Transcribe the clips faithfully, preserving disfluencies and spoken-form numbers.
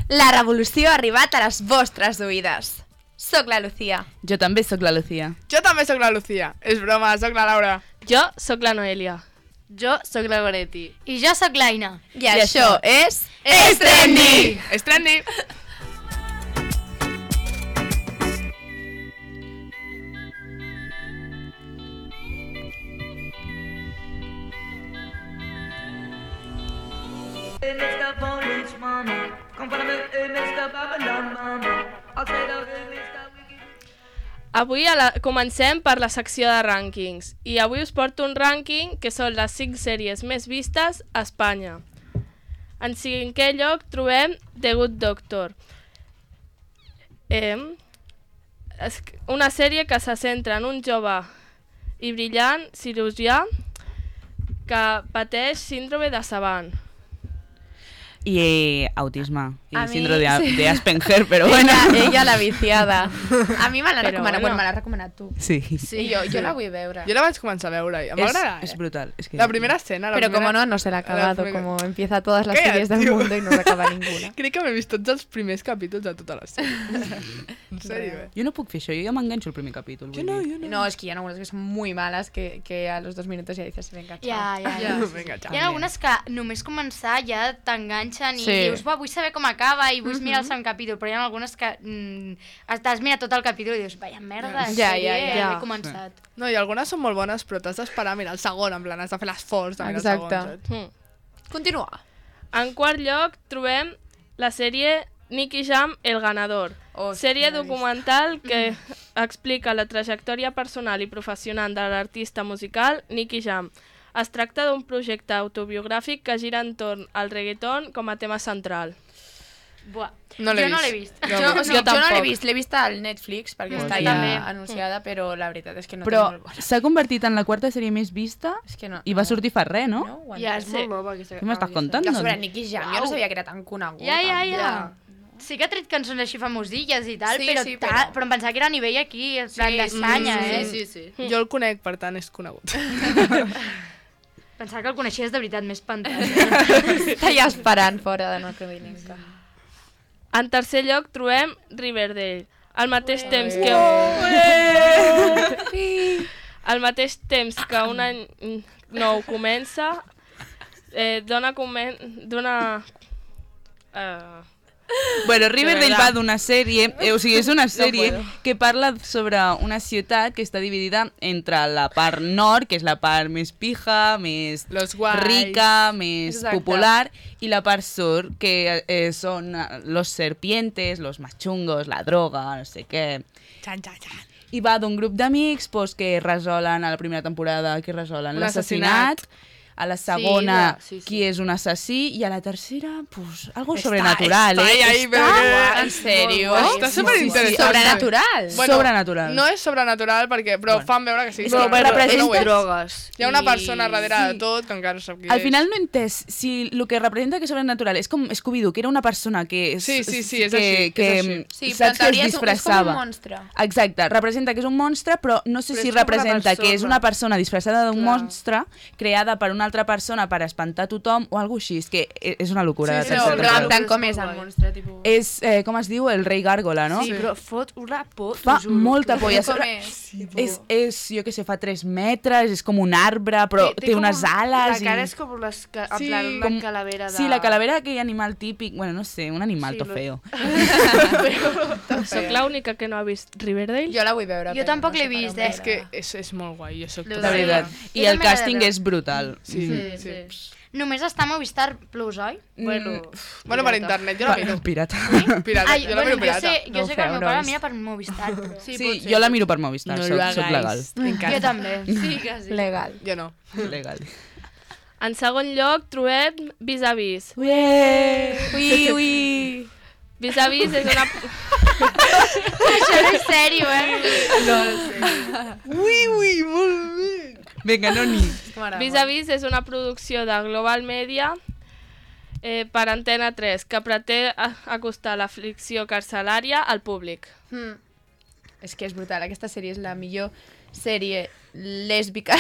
La revolució ha arribat a les vostres oïdes. Soc la Lucía. Jo també sóc la Lucía. Jo també sóc la Lucía. És broma, sóc la Laura. Jo sóc la Noelia. Jo sóc la Goretti. I jo sóc l'Aina. I, I això és... És trendy! És trendy! Avui a la... comencem per la secció de rànquings i avui us porto un rànquing que són les cinc sèries més vistes a Espanya. En cinquè lloc trobem The Good Doctor, eh, una sèrie que se centra en un jove i brillant cirurgià que pateix síndrome de Savant. I eh, autisme. I A mi, síndrome sí. de Asperger, però bueno. Ella, ella la viciada. A mi me l'ha Però recomanat, bueno. bueno, me l'ha recomanat tu. Sí. Sí, jo, jo la vull veure. Jo la vaig començar a veure i em va És, agradar, eh? és brutal. És que... La primera escena, la Pero primera... como no, no se la ha acabado, primera- como empieza todas las Calla, series del tío. mundo y no se acaba ninguna. Crec que m'he vist tots els primers capítols de tota la sèrie. En sèrio, eh? Jo no puc fer això, jo ja m'enganxo el primer capítol. Jo vull no, dir. jo no. No, es que hi ha algunas que son muy malas que, que a los dos minutos ya dices, venga, chao. Ja, ja, ja. Vinga, Hi xau. ha algunes que només començar ja t'enganxen i Sí. dius, va, vull saber com acaba i vull mirar el segon capítol, però hi ha algunes que mm, t'has mirat tot el capítol i dius, vaya merda, Ja, sèrie, ja, ja. ja he començat. No, i algunes són molt bones, però t'has d'esperar a mirar el segon, en plan, has de fer l'esforç de mirar el Exacte. segon, saps? Mm. Continúa. En quart lloc trobem la sèrie Nicky Jam, El Ganador, Oh, sèrie no l'he vist. documental que explica la trajectòria personal i professional de l'artista musical Nicky Jam. Es tracta d'un projecte autobiogràfic que gira entorn al reggaeton com a tema central. Buah, No l'he jo no vist. l'he vist. No, Jo, no. o sigui, Jo jo no l'he tampoc. vist, l'he vist al Netflix perquè Pues està ja. ja anunciada, però la veritat és que no Però té molt bona. s'ha convertit en la quarta sèrie més vista És que no. i va sortir fa res, no? No, ho Ja, entenc. és molt nova aquesta... Què m'estàs aquesta- contant? Jo sobre Nicky Jam, jo no sabia que era tan conegut. Ja, ja, ja. Ja. Sí que ha tret cançons així famosilles i tal, Sí, però, sí, ta- però- però em pensava que era a nivell aquí, en plan Sí, d'Espanya, sí, eh? Sí, sí, sí. Jo el conec, per tant, és conegut. Pensava que el coneixies de veritat més pantalla. Està ja esperant fora de no Crovinenca. En tercer lloc trobem Riverdale. Al mateix temps que... Al mateix temps que un any nou comença, eh, dona... Comen... dona eh, Bueno, Riverdale verdad. va d'una sèrie, eh, o sigui, és una sèrie que parla sobre una ciutat que està dividida entre la part nord, que és la part més pija, més Los guais. rica, més Exacte. popular, i la part sur, que eh, són eh, los serpientes, los más chungos, la droga, no sé què. Xan, xan, xan. I va d'un grup d'amics pues, que resolen a la primera temporada, que resolen Un l'assassinat, a la segona Sí, sí, sí. qui és un assassí, i a la tercera, pues, algo Està- sobrenatural, està eh? ahí, Està- però- En sèrio? Està superinteressant. Sobrenatural. Bueno, Sobrenatural. No és sobrenatural, perquè, però Bueno. fan veure que sí. Però, sobrenatural, però, però no ho és. drogues. Hi ha una i- persona darrere de tot que encara no sap qui Al és. final no he entès si el que representa que és sobrenatural és com Scooby-Doo, que era una persona que... És, Sí, sí, sí, és que, així, que, és així. Sí, però en saps que es teoria és, un- és com un disfressava. monstre. Exacte, representa que és un monstre, però no sé Però si és com una representa que és persona. una persona disfressada d'un Clar. monstre creada per una altra persona per espantar tothom o alguna així. És que és una locura. Sí, de sí, Però, no, tercera però temporada. en tant com és el monstre, tipus... És, eh, com es diu, el rei gàrgola, no? Sí, però fot una por, Fa t'ho juro. molta por. i a Com sobre- és? És, és, jo què sé, fa tres metres, és com un arbre, però té, com unes un- ales. La cara i... és com les, ca- en Sí, plan, una com- calavera de... Sí, la calavera d'aquell animal típic, bueno, no sé, un animal Sí, to lo- feo. Soc l'única que no ha vist Riverdale. Jo la vull veure. Jo però tampoc no l'he sé per vist, on eh? És que és, és molt guai, jo soc De De tota veritat. Jo I el també l'he de càsting veure. és brutal. Sí, Sí, sí. sí. Només està a Movistar Plus, oi? Bueno, Bueno, per internet, jo la miro. Pirata. Pirata, Ai, jo la bueno, miro jo pirata. sé, No jo ho sé que el feu, meu no pare he la vist. mira per Movistar, però... sí, Sí, pot ser. jo la miro per Movistar, No soc, lo soc hagáis. legal. Jo també. Sí, que sí. Legal. Jo no. Legal. En segon lloc trobem Vis a Vis. Ui, ui. Vis a Vis és una... Això no és sèrio, eh? Ui, ui, molt bé. Vinga, no ni. Vis a Vis és una producció de Global Media eh, per Antena tres que pretén a- acostar la ficció carcelària al públic. Mm. És que és brutal, aquesta sèrie és la millor sèrie lèsbica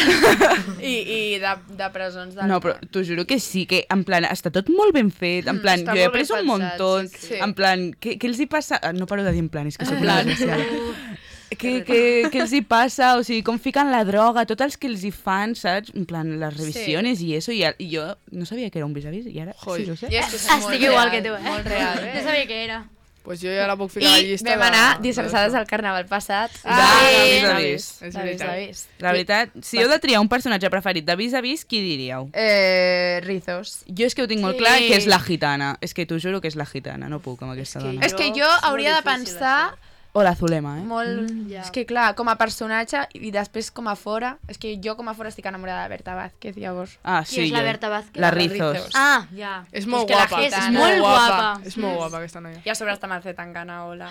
i, i de, de presons del No, però món. t'ho juro que sí, que en plan, està tot molt ben fet, en plan, està jo he molt ben après un pensat, muntó, sí, sí. en plan, què, què els hi passa? Ah, no paro de dir en plan, és que soc una plan. desgraciada. Què, què, què els hi passa? O sigui, com fiquen la droga, tots els que els hi fan, saps? En plan, les revisiones sí. i eso, i, i jo no sabia que era un vis-a-vis, i ara Joi. sí ho sé. I és que és Estic molt igual real, que tu, eh? Molt real, eh? No sabia què era. Pues jo ja la puc ficar a la I llista vam de- anar de- disfressades al carnaval passat. Ah, de vis-a-vis. És de veritat. vis-a-vis. La veritat, si heu de triar un personatge preferit de vis-a-vis, qui diríeu? Eh, Rizos. Jo és que ho tinc molt Sí. clar, que és la gitana. És que t'ho juro que és la gitana, no puc amb aquesta que dona. jo- És que jo és molt hauria de difícil, pensar O la Zulema, eh? molt... ja. És que clar, com a personatge i després com a fora... És que jo com a fora estic enamorada de Berta Vázquez, llavors... Ah, Qui sí, és la jo. Berta Vázquez? La La Rizos. Rizos. Ah, ja. És molt que la guapa. gitana- És molt guapa. És molt guapa aquesta noia. I a sobre està Mercè Tangana, hola.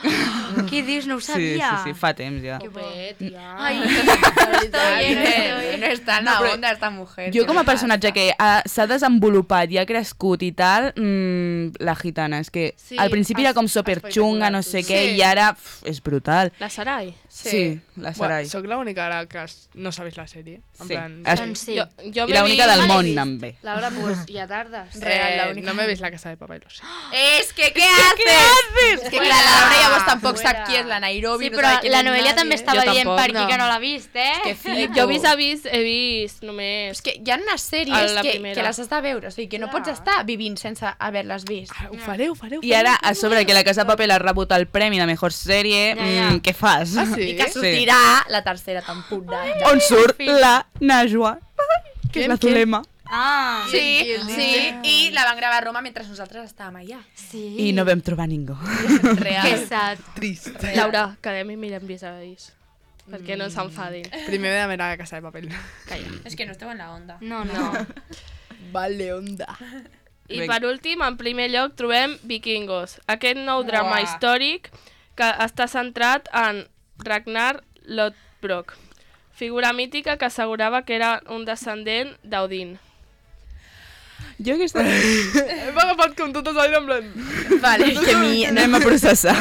Què dius? No ho Sí, sabia. sí, sí, fa temps ja. Que bé, tia. Ai, Eh, no és tan No, però- onda esta mujer. Jo què com a li personatge passa? que ha- s'ha desenvolupat i ha crescut i tal, mmm, la gitana, és que Sí, al principi era com es- superxunga, no sé què, Sí. i ara pf, és brutal. La Sarai. Sí, la Sarai. Bueno, soc l'única ara que es- no s'ha vist la sèrie. En Sí. plan, Es- Doncs sí. Jo, jo I l'única del l'he món vist. també. Laura, pues, ja tardes. Real, la eh, única. no m'he vist la casa de Papá y lo sé. És que què haces? És que clar, la Laura llavors tampoc sap Fuera. qui és la Nairobi. Sí, no però sabe quién la es Noelia nadie. també estava Jo dient tampoc, per aquí no. que no l'ha vist, eh? Que flipo. Jo vis a vis he vist només... És que hi ha unes A sèries la que, primera. que les has de veure, o sigui, que no pots estar vivint sense haver-les vist. Ah, ho faré, ho faré, ho faré. I ara, a sobre que la Casa de Papel ha rebut el premi de Mejor Sèrie, Ja, ja. mm, què fas? Ah, sí? I que sortirà la tercera temporada. On surt la Najwa, que és la Qui? Zulema. Ah, Sí, sí, i la van gravar a Roma mentre nosaltres estàvem allà. sí. I no vam trobar ningú. Que Real. sad. Trist. Laura, quedem i mirem vis a vis. Perquè no s'enfadin. Primer de mirar la casa de papel. És que no esteu en la onda. No, no. Vale, onda. I Vinga. per últim, en primer lloc, trobem Vikingos, aquest nou drama Uah. històric que està centrat en Ragnar Lodbrok, figura mítica que assegurava que era un descendent d'Odin. Jo aquesta... Hem agafat com totes allà en plan... Vale, que mi... Anem a processar.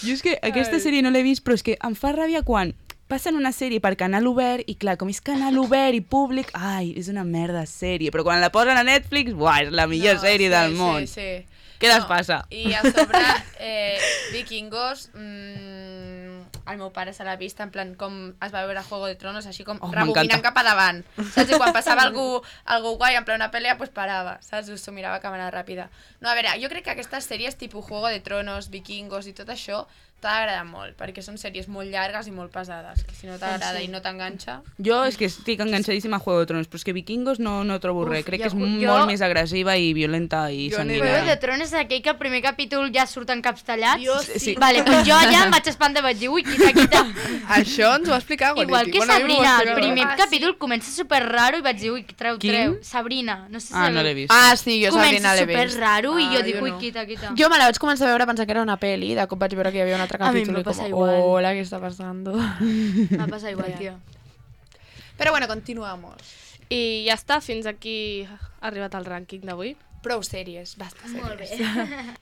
Jo és que aquesta sèrie no l'he vist, però és que em fa ràbia quan passen una sèrie per canal obert i clar, com és canal obert i públic, ai, és una merda de sèrie, però quan la posen a Netflix, buah, és la millor sèrie del món. Sí, sí. Què les passa? I a sobre, eh, Vikingos, mmm, el meu pare se l'ha vist en plan com es va veure Juego de Tronos, així com Oh, rebobinant m'encanta. cap a davant. Saps? I quan passava algú, algú guai en plan una pel·li, pues parava, saps? S'ho mirava a càmera ràpida. No, a veure, jo crec que aquestes sèries tipus Juego de Tronos, Vikingos i tot això t'ha d'agradar molt, perquè són sèries molt llargues i molt pesades, que si no t'agrada i no t'enganxa... Jo és que estic enganxadíssima a Juego de Tronos, però és que Vikingos no, no trobo res. Crec jo- que és jo- molt més agressiva i violenta i Jo n'he Juego de sanguinària. Tronos és aquell que al primer capítol ja surten caps tallats? Jo sí. sí. Vale, pues jo allà em vaig espantar i vaig dir, ui, quita, quita. Això ens ho va explicar Goretti. Igual que Bueno, a mi m'ho va Sabrina, el explicar. primer Ah, sí. capítol comença super raro i vaig dir, ui, treu, Quin? treu. Sabrina, no sé si Ah, no sabeu. l'he vist. Ah, sí, jo Sabrina Comença l'he super vist. raro i Ah, jo jo dic, ui, no. quita, quita. Jo me la vaig començar a veure pensant que era una peli, de cop vaig veure que hi havia un altre A mi capítol me i com, passa igual. hola, què està passant? M'ha passat igual, tio. Però bueno, continuamos. I ja està, fins aquí ha arribat el rànquing d'avui. Prou sèries, basta sèries. Molt bé.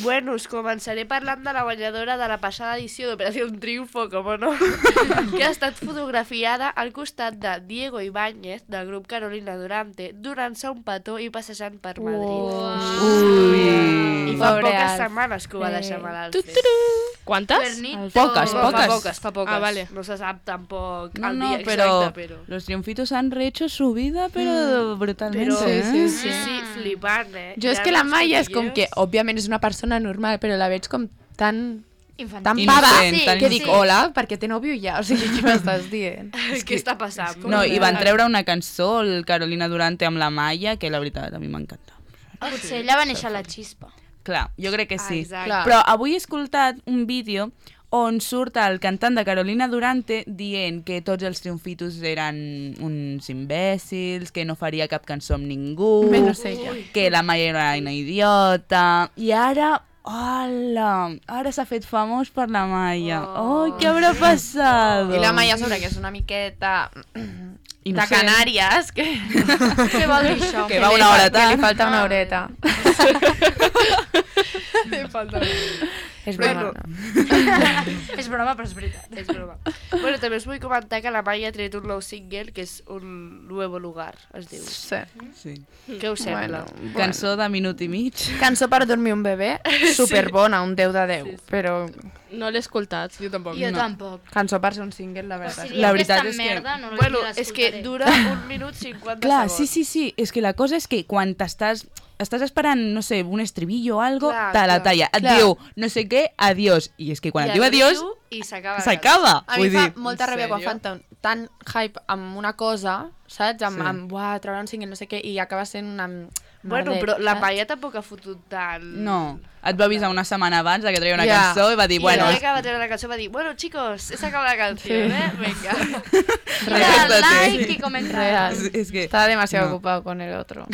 Bueno, us començaré parlant de la guanyadora de la passada edició d'Operació Triunfo, com no, que ha estat fotografiada al costat de Diego Ibáñez, del grup Carolina Durante, donant-se un petó i passejant per Madrid. Ui. I fa Pobre poques Alf. setmanes que ho va deixar malalt. Quantes? Cuernito. Poques, Fa poques. poques, fa poques. Ah, vale. No se sap tampoc No, el no, dia pero exacte, però... los triunfitos han rehecho su vida, pero brutalmente, Però, ¿eh? sí, sí, sí, flipant, eh? Jo és Hi ha que la uns Maia és com que, cotilleos. òbviament és una persona normal, però la veig com tan, Infantil. tan Innocent, pava tan que innocent. dic, hola, perquè té nòvio ja, o sigui, què m'estàs dient? Què està passant? No, i van treure una cançó, el Carolina Durante amb la Maia, que la veritat a mi m'encanta. Potser allà va néixer la xispa. Clar, jo crec que sí. Exacte. Clar. Però avui he escoltat un vídeo on surt el cantant de Carolina Durante dient que tots els triomfitos eren uns imbècils, que no faria cap cançó amb ningú, Menys ella. que la Maia era una idiota, i ara... Hola, ara s'ha fet famós per la Maia. Oh, què haurà passat? I la Maia sobre que és una miqueta de Canàries, que... Què vol dir això? Que va una hora Que li tard. falta una horeta. Li falta una. És Bueno. broma. És broma, però és veritat. És broma. Bueno, també us vull comentar que la Maia ha tret un nou single, que és Un nuevo lugar, es diu. Sí. Sí. Què us sembla? Bueno, Cançó de minut i mig. Cançó per dormir un bebè, superbona, un deu de deu, però No l'he escoltat. Jo tampoc. Jo No. tampoc. cançó per ser un single, la Si veritat. dieu La que veritat és és tan que- merda, no Bueno, l'escoltaré. és que dura un minut cinquanta Clar, segons. sí, sí, sí. És que la cosa és que quan t'estàs estàs esperant, no sé, un estribillo o algo, Clar, te la clar. talla. Et Clar. diu no sé què, adiós. I és que quan I et diu arribo adiós, I s'acaba. la s'acaba. A mi Vull fa dir, molta en ràbia quan sèrio? fan tan, tan hype amb una cosa, saps? Amb, Sí. amb buah, treure un single, no sé què, i acaba sent una... Bueno, merder, però la saps? Maia tampoc ha fotut tant. no. Et va avisar una setmana abans de que treia una Ja. cançó i va dir, I bueno, el dia que va treure la cançó va dir, bueno, chicos, he sacado la canción, eh? Venga. Mira, Real. like i comentar. Real. és, és que... Estaba demasiado No. ocupado con el otro.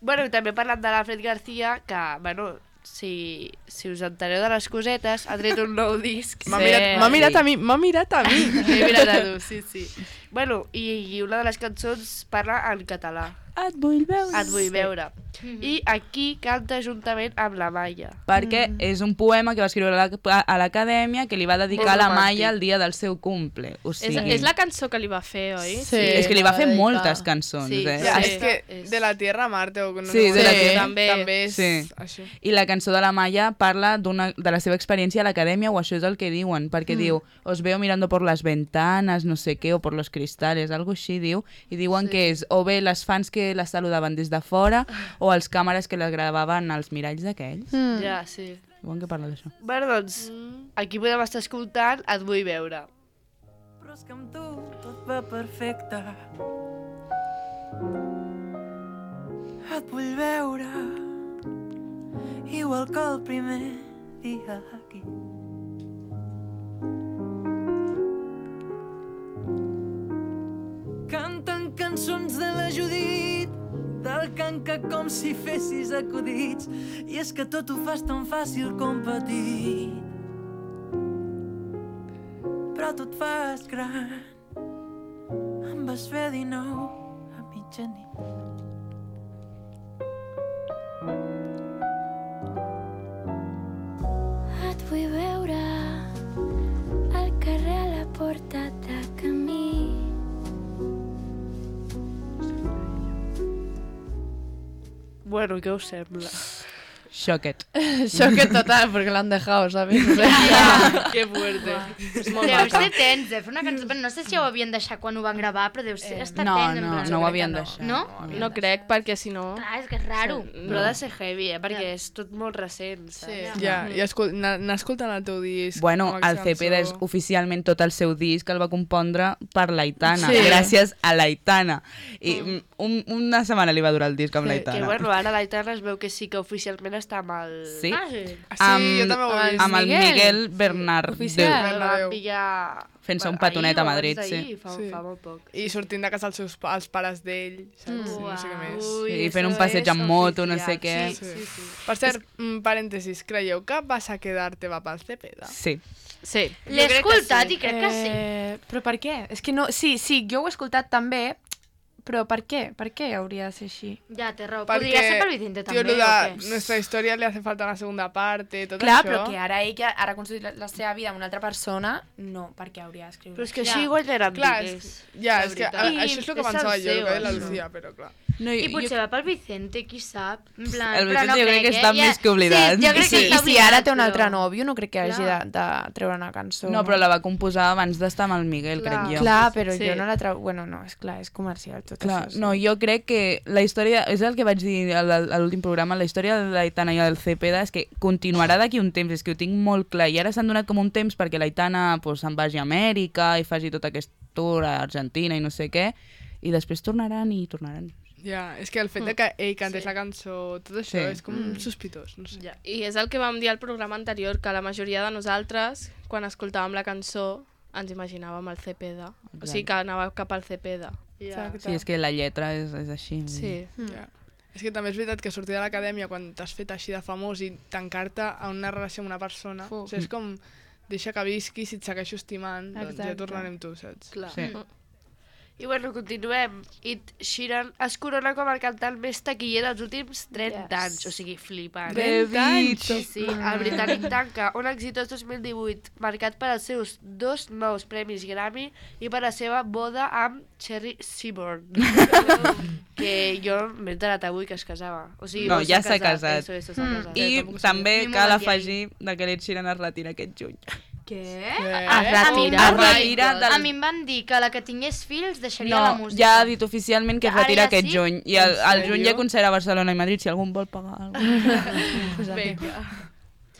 Bueno, i també parlant de l'Alfred García, que, bueno, si, si us entereu de les cosetes, ha tret un nou disc. M'ha Sí. mirat, m'ha mirat a mi, m'ha mirat a mi. He mirat a tu, sí, sí. Bueno, i, i una de les cançons parla en català. Et vull veure. Et vull veure. I aquí canta juntament amb la Maia. Perquè és un poema que va escriure a la- a l'acadèmia que li va dedicar Molt a la romàntic. Maia el dia del seu cumple. O És, sigui, és la cançó que li va fer, oi? Sí. és que li va fer dedicar. moltes cançons, Sí, eh? Ja, Sí. és que És- de la Tierra a Marte o no Sí, sé de la com- Tierra. també, també és Sí. això. I la cançó de la Maia parla d'una de la seva experiència a l'acadèmia, o això és el que diuen, perquè mm. diu, os veo mirando por las ventanas, no sé què, o por los cristales, algo així, diu, i diuen Sí. que és o bé les fans que la saludaven des de fora, o els càmeres que la gravaven als miralls d'aquells. Mm. Ja, sí. Diuen que parla d'això. Bueno, doncs, aquí podem estar escoltant Et vull veure. Però és que amb tu tot va perfecte. Et vull veure igual que el primer dia aquí. Canten cançons de la Judit, del canca com si fessis acudits, i és que tot ho fas tan fàcil com petit. Però tu et fas gran, em vas fer dinou a mitjanit. Et vull veure al carrer a la porta de camí. Bueno, què us sembla? Xoquet. Choque total, porque lo han dejado, ¿sabes? O sea, Ja. Que fuerte. Deu ser tens de fer una cançó, però no sé si ho havien deixat quan ho van gravar, però deu ser estar no, tens. en no, plan. no ho crec que havien no. deixat. No? No crec, perquè si no... Clar, és que és raro. Però ha de ser heavy, eh? Perquè és tot molt recent, saps? Sí. Ja, i escol anar anar escoltant el teu disc. Bueno, amb el aquesta Cepeda és cançó. oficialment tot el seu disc el va compondre per l'Aitana, Sí. gràcies a l'Aitana. I mm, un, una setmana li va durar el disc amb Que l'Aitana. bueno, ara l'Aitana es veu que sí que oficialment està amb el... Sí, Ah, sí. Ah, sí, jo també ho he vist. amb el Miguel. Miguel Bernard. Oficial. El van pillar... Fent-se un Ahir petonet a o abans Madrid, d'ahir, sí. Fa, Sí. fa molt poc. I sortint de casa els seus pa els pares d'ell, saps? Mm. No sé què més. Ui, I fent un eso passeig es amb moto, no oficial. sé què. Sí, sí, sí. Per cert, mm, parèntesis, creieu que vas a quedar-te va pel Cepeda? Sí. Sí. L'he crec que escoltat sí. i crec que sí. Eh, però per què? És que no... Sí, sí, jo ho he escoltat també, però per què? Per què hauria de ser així? Ja, té raó. Perquè, Podria ser pel Vicente Tio, també, lo o de què? nuestra història li hace falta una segunda parte, tot Clar, això. però que ara ell que ara ha construït la, la seva vida amb una altra persona, no, per què hauria d'escriure? Però és que Ja. així guanyaran Clar, diners. és, ja, la és que a, veritat. això és el que I és pensava el jo, el seu, que deia la això. Lucía, però clar. No, I potser va pel Vicente, qui sap? En plan, El però no Vicente jo crec que eh? està més que oblidat. Sí, jo crec I si, que i està si ara té un oblidat, altre però- nòvio, no crec que hagi de, Clar. de treure una cançó. No, però la va composar abans d'estar amb el Miguel, Clar. crec jo. Clar, però Sí. jo no la treu... Bueno, no, és clar, és comercial tot Clar, això. sí. no, jo crec que la història, és el que vaig dir a la- a l'últim programa, la història de l'Aitana i el Cepeda és que continuarà d'aquí un temps, és que ho tinc molt clar, i ara s'han donat com un temps perquè l'Aitana pues, se'n vagi a Amèrica i faci tot aquest tour a Argentina i no sé què, i després tornaran i tornaran. Ja, és que el fet de que ell cantés la cançó, tot això, Sí. és com sospitós, no sé. Ja. I és el que vam dir al programa anterior, que la majoria de nosaltres, quan escoltàvem la cançó, ens imaginàvem el Cepeda. O sigui, que anava cap al Cepeda. Ja. Sí, és que la lletra és, és així. Sí. Ja. És que també és veritat que sortir de l'acadèmia quan t'has fet així de famós i tancar-te a una relació amb una persona, Fu. o sigui, és com deixa que visqui, si et segueixo estimant, doncs ja Exacte. tornaré amb tu, saps? Clar. Sí. I bueno, continuem. Ed Sheeran es corona com el cantant més taquiller dels últims trenta Yes. anys, o sigui, flipant. Bebito. Sí, sí, el britànic tanca un exitós dos mil divuit marcat per als seus dos nous premis Grammy i per la seva boda amb Cherry Seaborn, que jo m'he enterat avui que es casava. O sigui, No, o ja s'ha casat. Eso, eso, s'ha Mm. casat. I tampoc també Ni cal moment afegir que l'Ed Sheeran es retira aquest juny. Què? Eh? Ah, Es retira. Es retira del... A mi em van dir que la que tingués fills deixaria No, la música. ja ha dit oficialment que es Ara retira ja aquest sí? juny. I el, el juny sèrio? ja concert a Barcelona i Madrid, si algú em vol pagar alguna cosa. Vinga.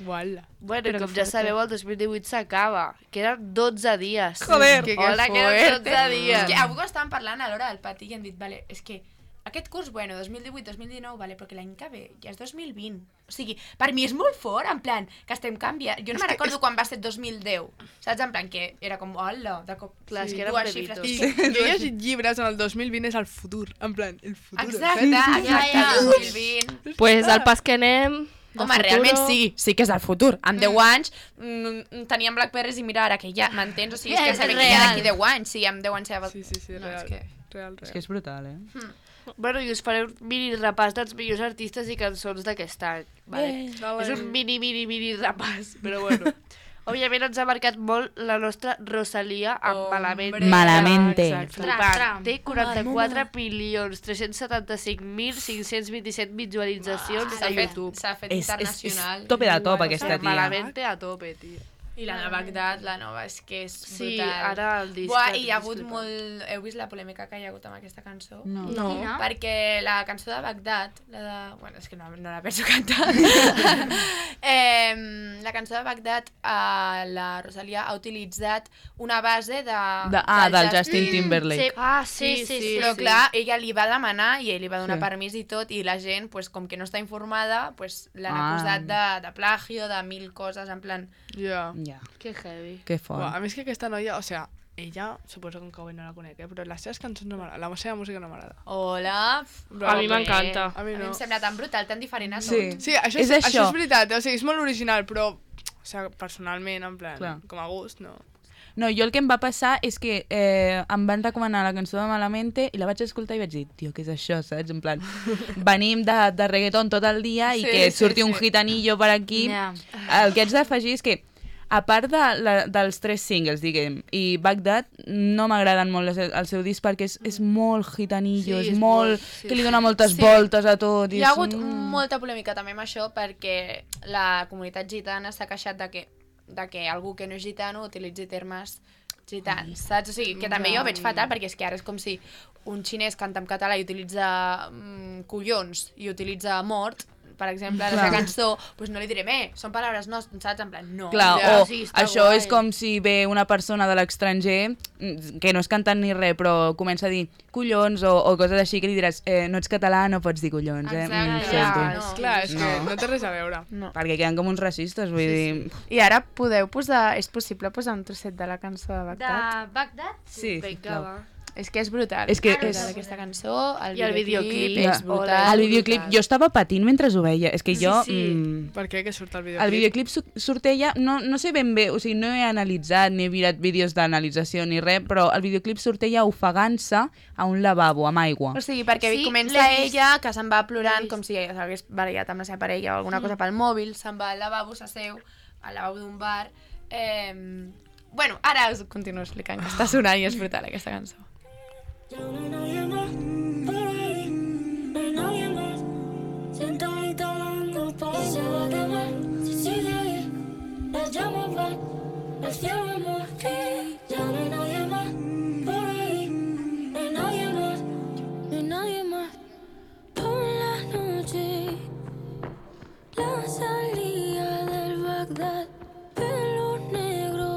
Uala. Bueno, Però com que ja fuerte. sabeu, el dos mil divuit s'acaba. Queden dotze dies. Joder. Que, Que Hola, fuerte. queden dotze dies. És que avui ho estàvem parlant a l'hora del pati i hem dit, vale, és que aquest curs, bueno, dos mil divuit dos mil dinou, vale, però que l'any que ve ja és dos mil vint. O sigui, per mi és molt fort, en plan, que estem canviant. Jo no me'n recordo quan va ser dos mil deu, saps? En plan, que era com, hola, de cop, Clar, és que eren dues bebitos. xifres. I jo he llegit llibres en el dos mil vint és el futur, en plan, el futur. Exacte, saps? exacte, ja. dos mil vint. Pues al pas que anem... de Home, futuro- realment sí, sí que és el futur. Amb deu anys mm, teníem Blackberries i mira ara que ja, m'entens? O sigui, és que És sabem que ja real. d'aquí deu anys, sí, amb deu anys ja... Sí, sí, sí, No, real. és que... Real, És real. que és brutal, eh? Bueno, i us faré un mini repàs dels millors artistes i cançons d'aquest any. Vale? Vale. És un mini, mini, mini repàs, però bueno. Òbviament ens ha marcat molt la nostra Rosalia amb Hombre. Malamente. Malamente. Exacte. Tra, Flipant. tra. Té quaranta-quatre milions tres-cents setanta-cinc mil cinc-cents vint-i-set visualitzacions S'ha a fet, YouTube. s'ha fet És, és, és internacional. tope de top, Bueno, aquesta tia. Malamente a tope, tio. I la de Bagdad, la nova, és que és Sí, brutal. ara el disc... Buah, el i hi ha disc hagut flipant. molt... Heu vist la polèmica que hi ha hagut amb aquesta cançó? No. No. Quina? Perquè la cançó de Bagdad, la de... Bueno, és que no, no la penso cantar. eh, la cançó de Bagdad, eh, la Rosalia ha utilitzat una base de... De, ah, del Justin Timberlake. Sí. Ah, Sí, sí, sí, sí. Però sí. clar, ella li va demanar i ell li va donar Sí. permís i tot, i la gent, pues, com que no està informada, pues, l'han Ah. acusat de, de plagio, de mil coses, en plan... Ja. Ja, Que heavy. que Buah, fort. a mi és que aquesta noia, o sigui, ella, suposo que en Cowen no la conec, eh? Però les seves cançons no m'agraden, la seva música no m'agrada. Hola! Però A mi bé, m'encanta. A mi A mi no. em sembla tan brutal, tan diferent a Sí. tot. Sí, això És és, això. això és veritat, o sigui, és molt original, però, o sigui, personalment, en plan, Clar. com a gust, no. No, jo el que em va passar és que eh, em van recomanar la cançó de Malamente i la vaig escoltar i vaig dir, tio, què és això, saps? En plan, venim de, de reggaeton tot el dia i Sí, que sí, surti un sí. gitanillo per aquí. Ja. El que haig d'afegir és que, a part de la, dels tres singles, diguem, i Bagdad, no m'agraden molt el, el seu disc perquè és, és molt gitanillo, Sí, és, és molt... molt- sí, que li sí. dona moltes Sí. voltes a tot. i Hi ha és- hagut mm. molta polèmica també amb això perquè la comunitat gitana s'ha queixat de que, de que algú que no és gitano utilitzi termes gitans, saps? O sigui, que també jo ho veig fatal perquè és que ara és com si un xinès canta en català i utilitza mm, collons i utilitza mort, per exemple, a la seva Clar. cançó, doncs no li direm, eh, són paraules nostres, saps? En plan, no. Clar, Ja, o sí, està això guai. és com si ve una persona de l'estranger mm, que no és cantant ni res, però comença a dir collons o, o coses així que li diràs eh, no ets català, no pots dir collons, eh? Exacte, Mm, ja, sento. no. Clar, és que No. no té res a veure. No. Perquè queden com uns racistes, vull dir... I ara podeu posar, és possible posar un trosset de la cançó de De Bagdad? Bagdad? Sí, Vinga, sisplau. va. És que és brutal. És que és és- brutal aquesta cançó, el I el videoclip, videoclip, és ja. brutal. El videoclip, jo estava patint mentre ho veia, és que jo... Sí, sí. Mm, Per què que surt el videoclip? el videoclip su- surt ella, no, no sé ben bé, o sigui, no he analitzat ni he mirat vídeos d'analització ni res, però el videoclip surt ella ofegant-se a un lavabo amb aigua. O sigui, perquè Sí, comença l'he vist. ella, que se'n va plorant, vist. com si s'hagués barallat amb la seva parella o alguna cosa pel mòbil, se'n va al lavabo, s'asseu, al lavabo d'un bar... Eh... Bueno, ara us continuo explicant que està sonant i és brutal aquesta cançó. Ya no hay nadie más por ahí, no hay nadie más. Sentadita hablando por ahí. Se va a quemar, si sigue ahí. Las llamas van, el cielo amor. Ya no hay nadie más por ahí, no hay nadie más, no hay nadie más. Por la noche, la salida del Bagdad. Pelo negro,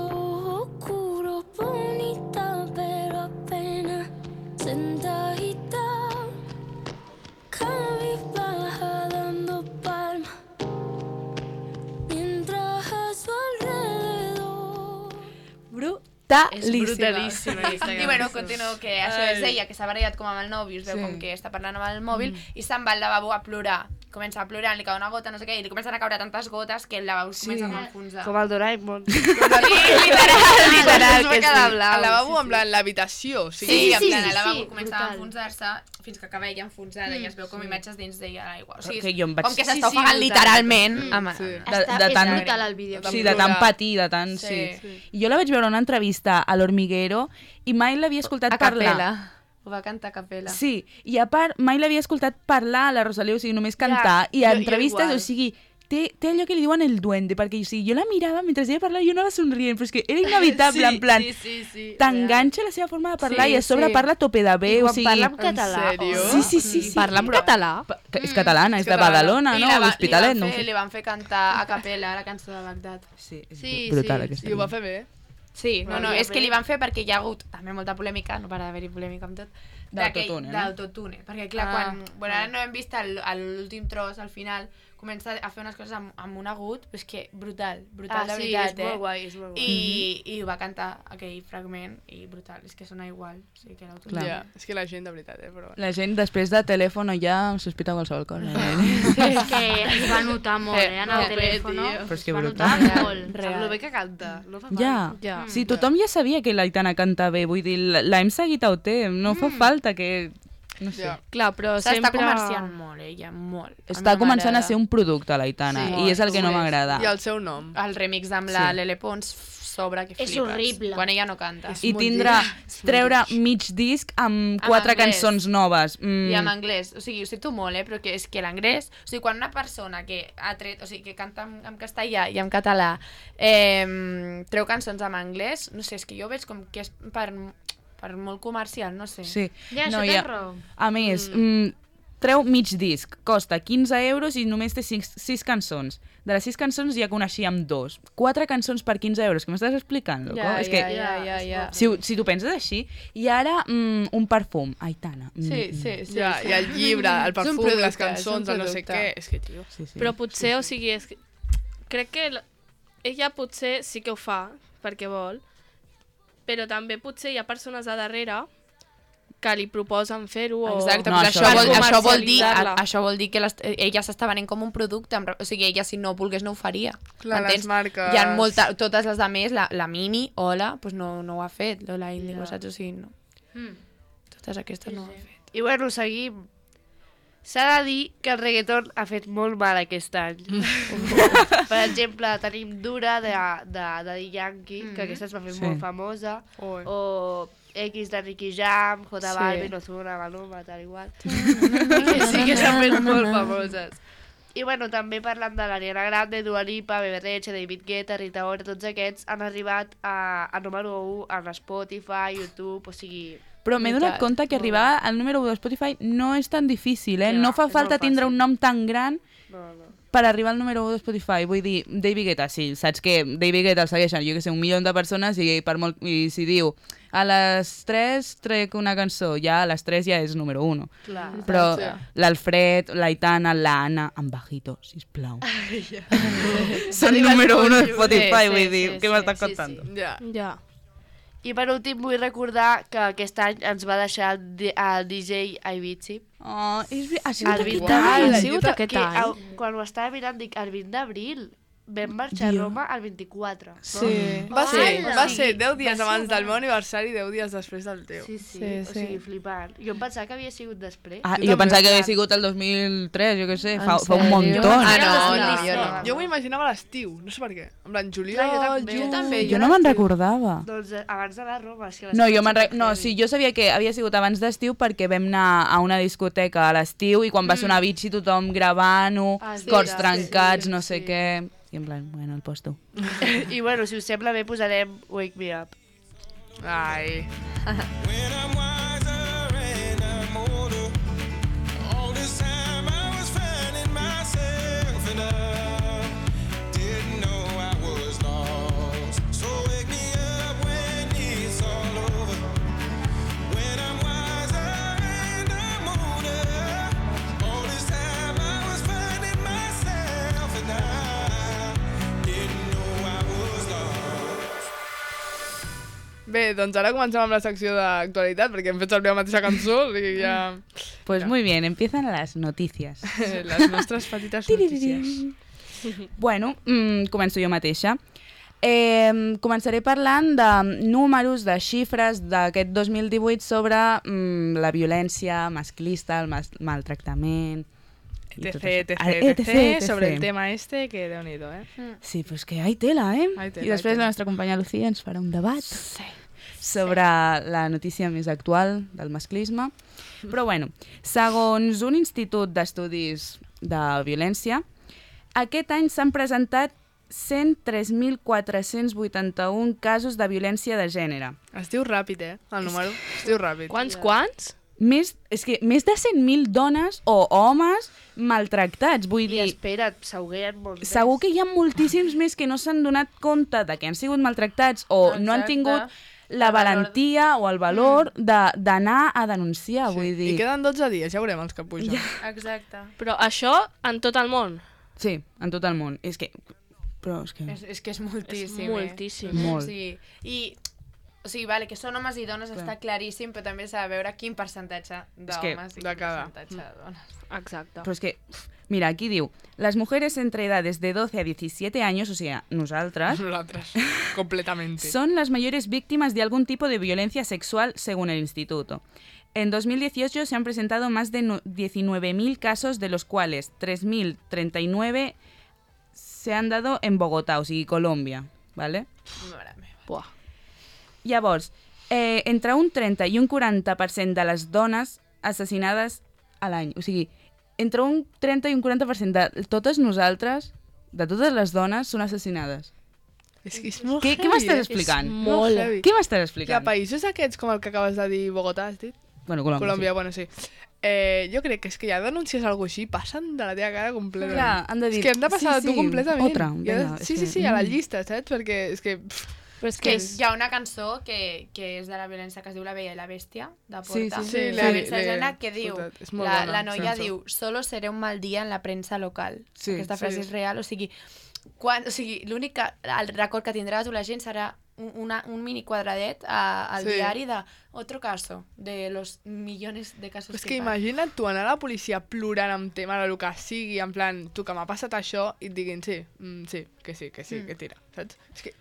oscuro, bonita, pero apenas sentadita, cabizbaja dando palmas, mientras a su alrededor. Brutalíssima. És brutalíssima aquesta I bueno, cançó. continuo, que això és ella, que s'ha barallat com amb el nòvio, es veu Sí. com que està parlant amb el mòbil, i se'n va al lavabo a plorar. comença a plorar, li cau una gota, no sé què, i li comencen a caure tantes gotes que el lavabo sí. comença a enfonsar. Com el Doraemon. Sí, literal, literal, que sí. El lavabo, en plan, l'habitació. O sigui, Sí, Sí, en sí, plan, sí, el lavabo sí, comença a brutal. enfonsar-se fins que acaba ella enfonsada i es veu com imatges dins d'ella a l'aigua. O sigui, Que jo em vaig- com que Sí, s'està sí, ofegant brutal. literalment. Mm, amb... sí. De- Està, de és tant- brutal el vídeo. Sí, de tant patir, de tant... Sí. Sí. sí. I jo la vaig veure en una entrevista a l'Hormiguero i mai l'havia escoltat A parlar. capella. Ho va cantar a capella. Sí, i a part, mai l'havia escoltat parlar a la Rosalía, o sigui, només cantar, i a jo- jo entrevistes, igual. o sigui, té, té allò que li diuen el duende, perquè o sigui, jo la mirava mentre ella parlava i jo anava somrient, però és que era inevitable, en plan, Sí, sí, sí. t'enganxa la seva forma de parlar Sí, i a sobre sí. parla a tope de I bé, o quan sigui... parla en català. En sèrio? Sí, sí, sí. sí. Parla en català? Pa- que És catalana, és de catalana. Badalona, I no? la va- L'Hospitalet, li no van ho fer, sé. li van fer cantar a capella la cançó de Bagdad. Sí, és Sí, brutal sí. aquesta. I ho va fer bé. Sí, no, no, Valia és que bé. li van fer perquè hi ha hagut també molta polèmica, no para d'haver-hi polèmica amb tot. D'autotune, no? D'autotune, perquè clar, Ah, quan... Bueno, ara no hem vist el- el- l'últim tros, al final, comença a fer unes coses amb, amb un agut, però és que brutal, brutal Ah, de sí, veritat, és eh? molt guai, és molt guai. I, I ho va cantar aquell fragment, i brutal, és que sona igual, o sigui que l'autotune. Clar. Ja, és que la gent, de veritat, eh, però... La gent després de telèfon ja sospita qualsevol cosa. És que es va notar molt, eh, en el Molt bé, telèfon. tio. Però és que Es va brutal. notar molt. Sap lo bé que canta. No fa mal. Ja. Ja. Sí, tothom ja sabia que l'Aitana canta bé, vull dir, l- l'hem seguit a O T, no fa falta que... No sé. Ja. Clar, però S'està sempre... comerciant molt, ella, molt. A Està mi començant a m'agrada. ser un producte, l'Aitana, Sí, i és el que no molt. m'agrada. I el seu nom. El remix amb la Sí. Lele Pons sobre que És flipes. horrible. Quan ella no canta. És I molt tindrà, lleig. treure mig disc amb En quatre anglès. cançons noves. Mm. I en anglès, o sigui, ho sento molt, eh, però que és que l'anglès, o sigui, quan una persona que ha tret, o sigui, que canta en, en castellà i en català, eh, treu cançons en anglès, no sé, és que jo veig com que és per, per molt comercial, no sé. Sí. Ja, no, això hi ha- tens raó. A més, mm. treu mig disc, costa quinze euros i només té sis cançons. De les sis cançons ja coneixíem dos. Quatre cançons per quinze euros, que m'estàs explicant, loco? Ja, és ja, que, ja, ja, ja. si, ho- si tu penses així, i ara mm, un perfum, Aitana. Mm, Sí, mm. sí, sí. Ja, sí. i el llibre, el És un perfum, producte, les és un cançons, el no sé producte. què... És que, tio... Sí, sí. Però potser, o sigui, és que... crec que l- ella potser sí que ho fa, perquè vol, però també potser hi ha persones a darrere que li proposen fer-ho o... Exacte, No, no, això això, vol- vol, això, vol dir, comercialitzar-la. a, això vol dir que les, ella s'està venent com un producte, amb- o sigui, ella si no volgués no ho faria. Clar, les Entens? marques- Hi ha molta, totes les de més, la, la Mimi, Ola, pues no, no ho ha fet, Lola Índigo, saps? O sigui, no. Mm. Totes aquestes no ho han fet. I bueno, seguim. S'ha de dir que el reggaeton ha fet molt mal aquest any. Per exemple, tenim Dura de, de, de Daddy Yankee, que aquesta es va fer Sí. molt famosa, Oi. o X de Nicky Jam, J Sí. Balvin, Ozuna, Maluma, tal igual. que sí que s'han fet molt famoses. I bueno, també parlant de l'Ariana Grande, Dua Lipa, Bebe Rexha, David Guetta, Rita Ora, tots aquests han arribat a, a número u en Spotify, YouTube, o sigui... Però m'he donat Veritat, compte que molt arribar al número u de Spotify no és tan difícil, eh? Ja, No fa és falta molt tindre fàcil. un nom tan gran No, no. per arribar al número u de Spotify. Vull dir, David Guetta, sí, saps que David Guetta el segueixen, jo que sé, un milió de persones i, per molt, i si diu a les tres trec una cançó, ja a les tres ja és número uno. Clar. Però Sí. l'Alfred, l'Aitana, l'Anna, en bajito, sisplau. Són número uno de Spotify, Sí, vull sí, dir, sí, què sí, m'estàs sí, contant? Ja. Ja. I per últim vull recordar que aquest any ens va deixar el, D- el D J Avicii. Oh, és, ve- ha sigut El aquest vint any. d'abril. Ha sigut aquest que, any. el, quan ho estava mirant, dic, el vint d'abril. Vam marxar Dio. a Roma el vint-i-quatre. No? Sí. Va ser, Hola. va ser deu dies Va ser abans del abans. meu aniversari i deu dies després del teu. Sí, sí, Sí, o sí. sigui, flipant. Jo em pensava que havia sigut després. Ah, Jo jo també, pensava que havia clar. sigut el dos mil tres, jo què sé, En fa, fa un sèrio? muntó. Ah, Era el no, dos mil no, jo disset. no. Jo m'ho imaginava a l'estiu, no sé per què. En plan, juliol, Clar, jo també. juny... Jo també, Jo no me'n recordava. Doncs eh, abans d'anar a Roma. És que les No, jo coses me'n re... són no, heavy. sí, jo sabia que havia sigut abans d'estiu perquè vam anar a una discoteca a l'estiu i quan va sonar Avicii tothom gravant-ho, Ah, sí, cors sí, trencats, sí, no sé sí. què... I en plan, bueno, el posto. I bueno, si us sembla bé, posarem Wake Me Up. Ai. When I'm wiser and I'm older, all this time I was finding myself and I didn't know I was lost. So wake me up when it's all over. When I'm wiser and I'm older, all this time I was finding myself and I didn't know I was lost. Bé, Bé, doncs ara comencem amb la secció d'actualitat, perquè hem fet servir la mateixa cançó i ja... Pues muy bien, empiezan las noticias. Les nostres petites notícies. Bueno, mm, començo jo mateixa. Eh, començaré parlant de números, de xifres d'aquest dos mil divuit sobre mm, la violència masclista, el mas maltractament... i tot Etc, això. etc, etc, etc, sobre el tema este, que déu-n'hi-do, eh? Sí, pues que hay tela, eh? Hay tela, I després hay tela. la nostra companya Lucía ens farà un debat sí. sobre sí. la notícia més actual del masclisme. Però bueno, segons un institut d'estudis de violència, aquest any s'han presentat cent tres mil quatre-cents vuitanta-un casos de violència de gènere. Es diu ràpid, eh, el número. Es diu ràpid. Quants, quants? Més, és que més de cent mil dones o homes maltractats, vull I dir... espera't, s'haurien molts més. Segur que hi ha moltíssims més que no s'han donat compte de que han sigut maltractats o no han Exacte. tingut la El valor. valentia o el valor de- d'anar a denunciar, Sí. vull dir... I queden dotze dies, ja veurem els que pugen. Exacte. Però això en tot el món. Sí, en tot el món. És que... Però és que... És, és que és moltíssim, És moltíssim. eh? Molt. O sigui, i, o sigui, vale, que són homes i dones Clar. està claríssim, però també s'ha de veure quin percentatge És que d'homes i de quin cada. percentatge de dones. Exacte. Però és que... Mira, aquí diu, las mujeres entre edades de doce a diecisiete años, o sea, nosaltres, Nosaltres, completamente. son las mayores víctimas de algún tipo de violencia sexual, según el instituto. En dos mil dieciocho se han presentado más de diecinueve mil casos, de los cuales tres mil treinta y nueve se han dado en Bogotá, o sigui, Colòmbia, ¿vale? Mare meva. Buah. Llavors, eh, entre un trenta i un quaranta per cent de les dones assassinades a l'any, o sigui, entre un trenta i un quaranta per cent de totes nosaltres, de totes les dones, són assassinades. És que és molt Què, heavy, què m'estàs eh? explicant? És molt heavy. Què m'estàs Que a explicant? països aquests, com el que acabes de dir, Bogotà, has dit? Bueno, Colòmbia, Colòmbia, sí. bueno, sí. Eh, jo crec que és que ja denuncies alguna cosa així, passen de la teva cara completament. Clar, han de dir, És que hem de passar sí, de tu sí, completament. otra, I ha de- vinga, és sí, sí, que- sí, a la mm. llista, saps? Perquè és que... pff, Però és que que és- hi ha una cançó que, que és de la violència que es diu La Bella i la Bèstia, de Porta. Sí, sí, sí, la l'he- violència de l'he gènere que diu, escoltat. És molt la, bona, la noia cançó. diu, solo seré un mal dia en la premsa local. Sí, Aquesta frase sí. és real, o sigui, quan, o sigui l'únic que- el record que tindrà tu la gent serà un, una, un mini quadradet a, al Sí. diari de otro caso, de los millones de casos És que, que imagina't tu anar a la policia plorant amb tema de lo que sigui, en plan, tu que m'ha passat això, i et diguin, sí, mm, sí, que sí, que sí, Mm. que tira, saps? És que...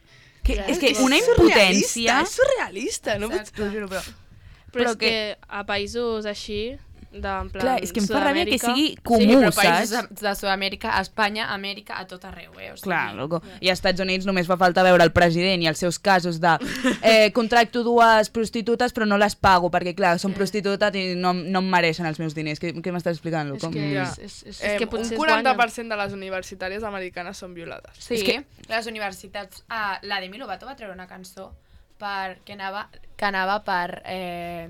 Que, és que és una surrealista, impotència... És surrealista, no pots... Exacte. T'ho juro, però... Però, Però és que... que a països així, de, en plan, Clar, és que em fa ràbia que Sud-amèrica- sigui sí, comú, però països saps? de, de Sud-amèrica, a Espanya, a Amèrica, a tot arreu, eh? O sigui, Clar, loco. I als Estats Units només fa falta veure el president i els seus casos de eh, contracto dues prostitutes però no les pago perquè, clar, són prostitutes i no, no em mereixen els meus diners. Què, què m'estàs explicant, És loco? que, Ja. és, és, és, Eh, és que un potser es quaranta per guanyen. cent de les universitàries americanes són violades. Sí, És que- les universitats... Ah, la Demi Lovato va treure una cançó per, que, anava, que anava per... Eh,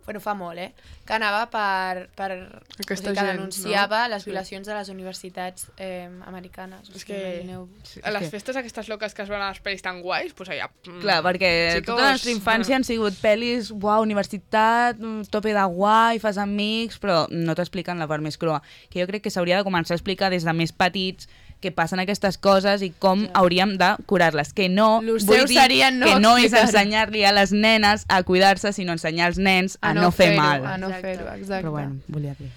bueno, fa molt, eh? Que anava per... per Aquesta o sigui, que gent, denunciava no? les Sí. violacions de les universitats eh, americanes. O És sigui, que- imagineu. Sí, A és les que- festes aquestes loques que es veuen a les pel·lis tan guais, doncs allà... mm, Clar, perquè Chicos. tota la nostra infància han sigut pel·lis, uau, universitat, mm, tope de guai, fas amics, però no t'expliquen la part més crua. Que jo crec que s'hauria de començar a explicar des de més petits que passen aquestes coses i com hauríem de curar-les. Que no, Lo vull seu dir seria no que no és explicar-ho. ensenyar-li a les nenes a cuidar-se, sinó ensenyar als nens a, no, fer fer-ho, mal. A no Exacte. fer-ho, exacte. Però bueno, volia dir.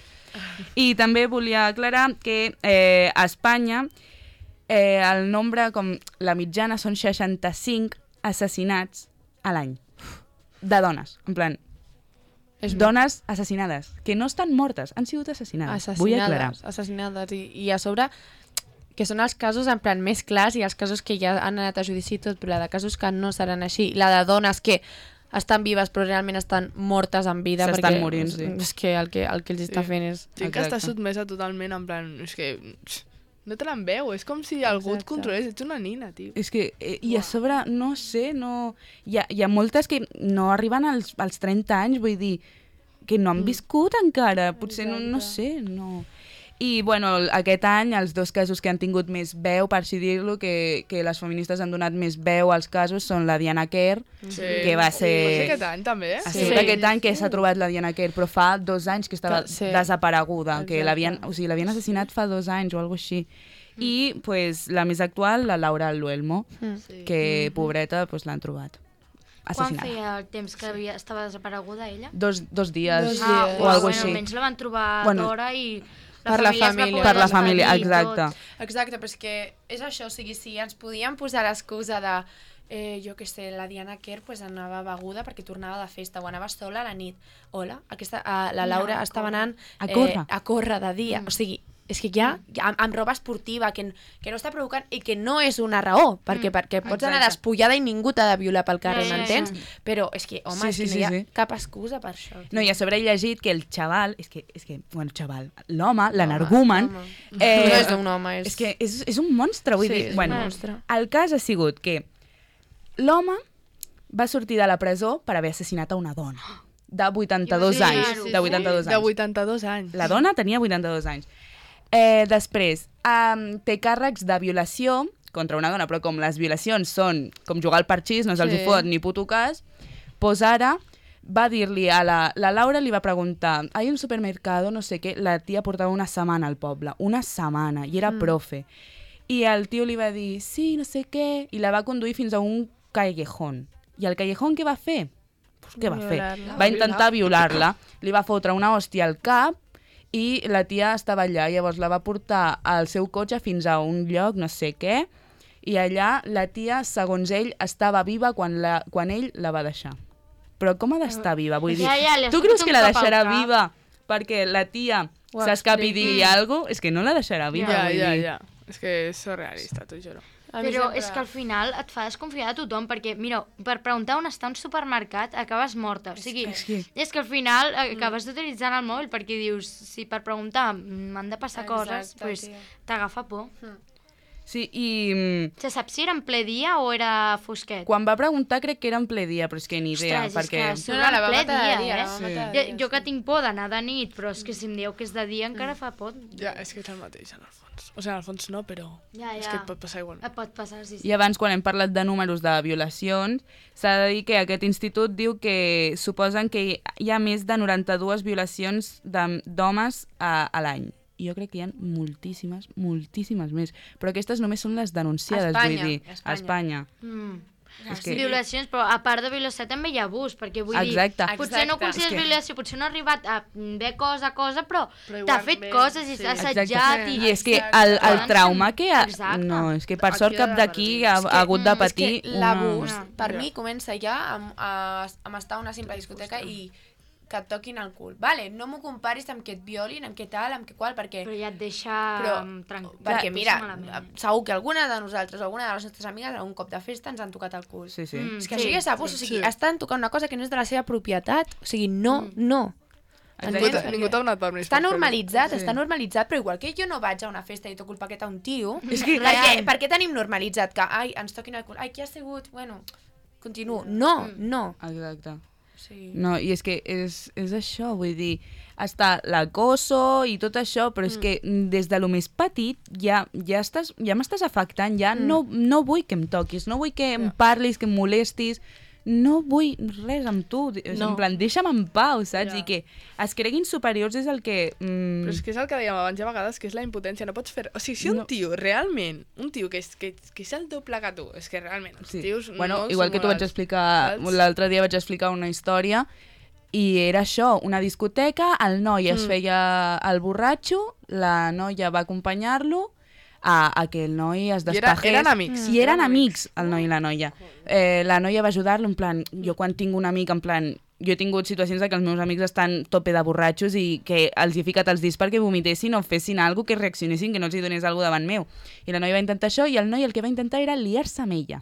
I també volia aclarar que eh, a Espanya eh, el nombre, com la mitjana, són seixanta-cinc assassinats a l'any. De dones, en plan, És dones assassinades, que no estan mortes, han sigut assassinades. Vull aclarar. assassinades, assassinades i, i a sobre que són els casos en plan més clars i els casos que ja han anat a judici i tot, però la de casos que no seran així, la de dones que estan vives però realment estan mortes en vida S'estan perquè morint, sí. és que el que, el que els està Sí. fent és... Gent que està Exacte. sotmesa totalment, en plan, és que... No te l'en veu, és com si algú et Exacte. controlés, ets una nina, tio. És que, eh, i a sobre, no sé, no... Hi ha, hi ha moltes que no arriben als, als trenta anys, vull dir, que no han viscut encara, potser no, no sé, no... I, bueno, el- aquest any, els dos casos que han tingut més veu, per així dir-lo, que, que les feministes han donat més veu als casos, són la Diana Kerr, Sí. que va ser... Va ser aquest any, també, eh? Ha Sí. sigut aquest any que s'ha trobat la Diana Kerr, però fa dos anys que estava Que- sí. desapareguda, que Exacte. l'havien, o sigui, l'havien assassinat fa dos anys o alguna així. I, pues, la més actual, la Laura Luelmo, Mm. Sí. que, pobreta, pues, l'han trobat. Quan assassinada. feia el temps que havia, estava desapareguda ella? Dos, dos dies Dos Ah, dies. o alguna bueno, cosa així. almenys la van trobar Bueno, d'hora i la per la família es va família. poder Per la família, despedir i exacte. tot. Exacte, però és que és això, o sigui, si ens podíem posar l'excusa de, eh, jo què sé, la Diana Kerr pues, anava beguda perquè tornava de festa o anava sola a la nit. Hola, aquesta, uh, la Laura No, estava anant A córrer. Eh, a córrer de dia. Mm. O sigui, és que ja, ja amb, amb roba esportiva, que, que no està provocant i que no és una raó, perquè, Mm. perquè pots anar Exacte. despullada i ningú t'ha de violar pel carrer, Ja, ja, m'entens? ja. Però és que, home, Sí, és sí, que sí, no hi ha sí. cap excusa per això. tio. No, i a sobre he llegit que el xaval, és que, és que bueno, xaval, l'home, l'energumen, Home. eh, No és un home, és... és que és, és un monstre, vull Sí, dir. és un Bueno, monstre. el cas ha sigut que l'home va sortir de la presó per haver assassinat a una dona de vuitanta-dos Sí, anys. sí, De vuitanta-dos De anys. vuitanta-dos anys. La dona tenia vuitanta-dos anys. Eh, després, um, té càrrecs de violació contra una dona, però com les violacions són com jugar al parxís, no se'ls Sí. hi fot ni puto cas, doncs ara va dir-li a la... La Laura li va preguntar, hay un supermercado, no sé què, la tia portava una setmana al poble, una setmana, i era mm. profe. I el tio li va dir, sí, no sé què, i la va conduir fins a un callejón. I el callejón què va fer? Pues, què va fer? Violar-la. Va intentar violar-la, li va fotre una hòstia al cap i la tia estava allà. Llavors la va portar al seu cotxe fins a un lloc, no sé què, i allà la tia, segons ell, estava viva quan, la, quan ell la va deixar. Però com ha d'estar viva? Vull dir, Ja, ja, li has tu fotut creus un que la cop al deixarà cap? viva perquè la tia Ho s'escapi i expliqui. digui alguna cosa? És que no la deixarà viva, Ja, vull ja, dir. ja. És que és surrealista, t'ho juro. A mi Però sempre- és que al final et fa desconfiar de tothom, perquè, mira, per preguntar on està un supermercat acabes morta. O sigui, És que- és que al final acabes utilitzant el mòbil perquè dius, si per preguntar m'han de passar Exacte, coses, pues, tio. t'agafa por. Sí, i mm, Se sap si era en ple dia o era fosquet? quan va preguntar crec que era en ple dia, però és que ni idea, Ostres, és perquè... que No, no, la va ple matar de dia, dia, la eh? va matar de Jo, dia, jo que sí. tinc por d'anar de nit, però és que si em dieu que és de dia encara fa por. Ja, és que és el mateix, en el fons. O sigui, en el fons no, però Ja, és ja. que et pot passar igual. Et pot passar, sí, sí. I abans, quan hem parlat de números de violacions, s'ha de dir que aquest institut diu que suposen que hi ha més de noranta-dues violacions de- d'homes a, a l'any. I jo crec que hi ha moltíssimes, moltíssimes més. Però aquestes només són les denunciades, A Espanya, vull dir. a A Espanya. Espanya. Mm. És Sí. que- Violacions, però a part de violació també hi ha abús, perquè vull Exacte. dir, potser no Exacte. consideres És que- violació, potser no ha arribat a bé cosa, cosa, però, Però t'ha fet igualment, coses i sí. t'ha assetjat i... I és que el, el Exacte. trauma que... Ha... Exacte. No, és que per Aquí sort ha cap de d'aquí revertir. ha, És que, ha hagut de mm, patir... És que l'abús, una- per Ja. mi, comença ja amb, a, amb estar a una simple discoteca i que et toquin el cul. Vale, no m'ho comparis amb que et violin, amb què tal, amb què qual, perquè... Però ja et deixa Però, mm, tranquil. perquè et mira, deixa malament. segur que alguna de nosaltres o alguna de les nostres amigues a un cop de festa ens han tocat el cul. Sí, sí. Mm. És que Sí, això ja és abús, o sigui, sí. estan tocant una cosa que no és de la seva propietat. O sigui, no, no. Exacte. Ningú t'ha- Perquè Ningú t'ha donat permís. Està per fer-ho. normalitzat, Sí. està normalitzat, però igual que jo no vaig a una festa i toco el paquet a un tio, És que- per, què, per què tenim normalitzat que, ai, ens toquin el cul, ai, qui ha sigut? Bueno, continuo. No, no. Exacte. O sigui, No, i és que és, és això, vull dir, està l'acoso i tot això, però és que des de lo més petit ja, ja, estàs, ja m'estàs afectant, ja no, no vull que em toquis, no vull que em parlis, que em molestis, no vull res amb tu, no. En plan, deixa'm en pau, saps? Ja. I que es creguin superiors és el que... Mm, Però és que és el que dèiem abans, hi ha vegades que és la impotència, no pots fer... O sigui, si un No. tio, realment, un tio que és, que, que és el doble que tu, és que realment, els Sí. tios Bueno, no igual són que t'ho vaig morals, explicar, saps? l'altre dia vaig explicar una història i era això, una discoteca, el noi es Mm. feia el borratxo, la noia va acompanyar-lo a, a que el noi es I era- despajés. eren amics. I eren amics, el noi i la noia. Eh, la noia va ajudar-lo, en plan, jo quan tinc un amic, en plan, jo he tingut situacions en què els meus amics estan tope de borratxos i que els he ficat els dits perquè vomitessin o fessin alguna que reaccionessin, que no els hi donés alguna davant meu. I la noia va intentar això i el noi el que va intentar era liar-se amb ella.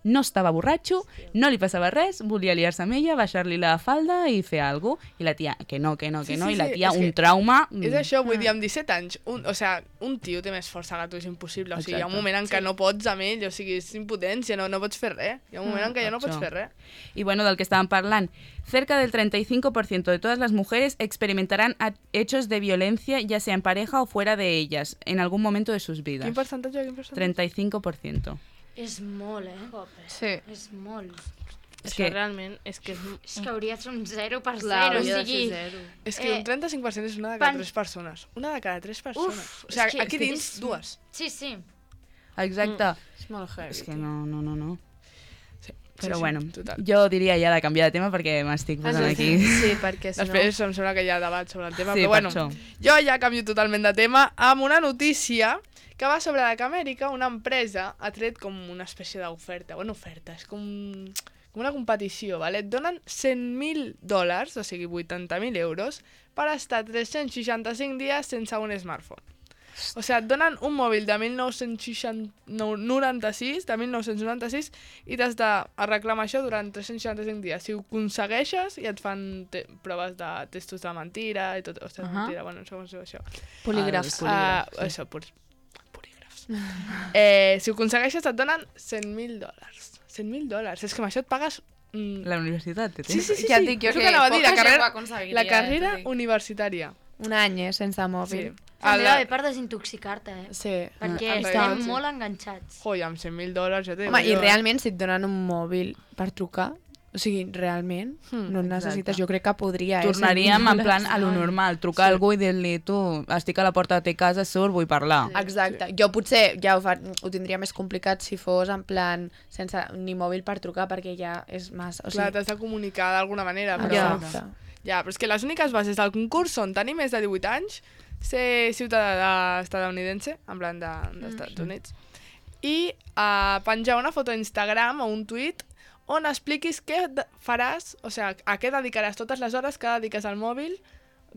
No estava borratxo, no li passava res, volia liar-se amb ella, baixar-li la falda i fer alguna cosa. I la tia, que no, que no, que Sí, no, sí, i la sí, tia, és un que trauma... És això, vull dir, amb disset anys, un, o sigui, un tio té més força que tu, és impossible. O sigui, hi ha un Exacte. moment en què no pots amb ell, o sigui, és impotència, no, no pots fer res. Hi ha un moment en què ja no pots Això. fer res. Y bueno, del que estaban hablando, cerca del treinta y cinco por ciento de todas las mujeres experimentarán a- hechos de violencia, ya sea en pareja o fuera de ellas, en algún momento de sus vidas. Quin percentatge, quin percentatge? treinta y cinco por ciento. És molt, eh? sí. És molt. És Això que- realment és que és... És que hauria de ser un zero per Clar, zero, o hauria de ser sigui... zero. És que Eh, un trenta-cinc per cent és una de cada pan- tres persones. Una de cada tres persones. Uf, o sigui, és que- aquí és que dins, és- dues. Sí, sí. Exacte. És molt heavy. És que no, no, no, no. Sí, Però sí, bueno, total. jo diria ja de canviar de tema perquè m'estic posant aquí. Sí, perquè si no... Després em sembla que hi ha debat sobre el tema, Sí, però per bueno, això. jo ja canvio totalment de tema amb una notícia que va sobre que a Amèrica una empresa ha tret com una espècie d'oferta, bueno, oferta, és com, com una competició, vale? Et donen cent mil dòlars, o sigui vuitanta mil euros, per estar tres-cents seixanta-cinc dies sense un smartphone. O sigui, et donen un mòbil de mil nou-cents noranta-sis, de mil nou-cents noranta-sis, i t'has d'arreglar amb això durant tres-cents seixanta-cinc dies. Si ho aconsegueixes, i et fan te proves de testos de mentira i tot. Ostres, uh -huh. mentira, bueno, no sé com es diu això. Polígrafs. Ah, Uh, sí. això, polígrafs. eh, si ho aconsegueixes, et donen cent mil dòlars. cent mil dòlars. És que amb això et pagues... Mm, La universitat, té sí, sí, sí, Ja et sí. dic jo És el que anava a dir, poca la gent carrera, ho aconseguiria, la eh, carrera t'ho dic. universitària. Un any, eh, sense mòbil. Sí. També la- va bé per desintoxicar-te, eh? Sí. Perquè Ah, estem sí. molt enganxats. Joi, amb cent mil dòlars ja t'ho dic Home, i jo, eh? realment, si et donen un mòbil per trucar, o sigui, realment, Hmm, no necessites, exacte. jo crec que podria, eh? Tornaríem cent mil en plan a lo normal, trucar a algú i dir-li tu, estic a la porta de te casa, surt, vull parlar. Exacte. Jo potser ja ho, fa, ho tindria més complicat si fos en plan sense ni mòbil per trucar, perquè ja és massa... O Clar, sigui, t'has de comunicar d'alguna manera, però... Exacte. Ja, però és que les úniques bases del concurs són tenir més de divuit anys, ser ciutadà estadounidense, en plan de- dels Estats Units, i uh, penjar una foto a Instagram o un tuit on expliquis què de- faràs, o sigui, a què dedicaràs totes les hores que dediques al mòbil,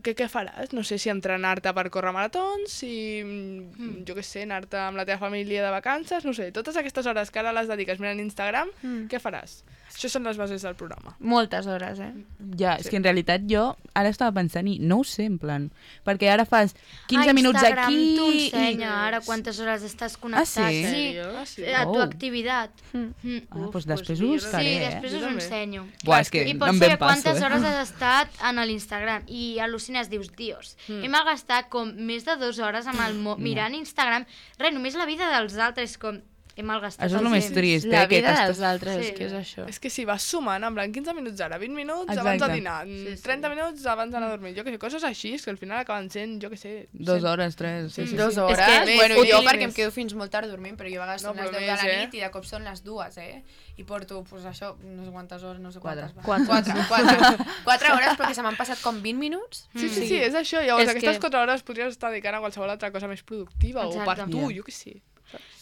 què, què faràs? No sé si entrenar-te per córrer maratons, si, mm. jo què sé, anar-te amb la teva família de vacances, no sé, totes aquestes hores que ara les dediques mirant Instagram, Mm. què faràs? Això són les bases del programa. moltes hores, eh? Ja, és que en realitat jo ara estava pensant i no ho sé, en plan, perquè ara fas quinze Ah, minuts Instagram aquí t'ho i... ensenya ara quantes hores estàs connectat. sí? Sí, Ah, sí? a tu Oh. activitat. Mm. Ah, doncs pues després ho mira. buscaré, Sí, eh? després Jo us ho també. ensenyo. Buah, és que I no pots em saber ben passo, quantes eh? hores has estat en l'Instagram i al·lucines, dius, dios, mm. he malgastat com més de dues hores amb el mo- mirant Instagram, res, només la vida dels altres, com he malgastat Això és el el més temps. trist, eh? La que vida t'estàs- dels altres, Sí. és que és això. És que si vas sumant, en plan quinze minuts ara, vint minuts Exacte. abans de dinar, Sí, sí. trenta minuts abans d'anar a dormir, jo què sé, coses així, és que al final acaben sent, jo què sé... Dos cent- hores, tres. Sí, sí, Dos sí. hores? És que bueno, més, jo més. perquè em quedo fins molt tard dormint, però jo a vegades No, són les però deu de més, la eh? nit i de cop són les dues, eh? I porto, pues això, no sé quantes hores, no sé Quatre. quantes. Quatre. Quatre. Quatre, quatre hores, perquè se m'han passat com vint minuts. Sí, sí, sí, és això. Llavors, És aquestes que- quatre hores podries estar dedicant a qualsevol altra cosa més productiva o per Exacte. tu, Ja. jo què sé.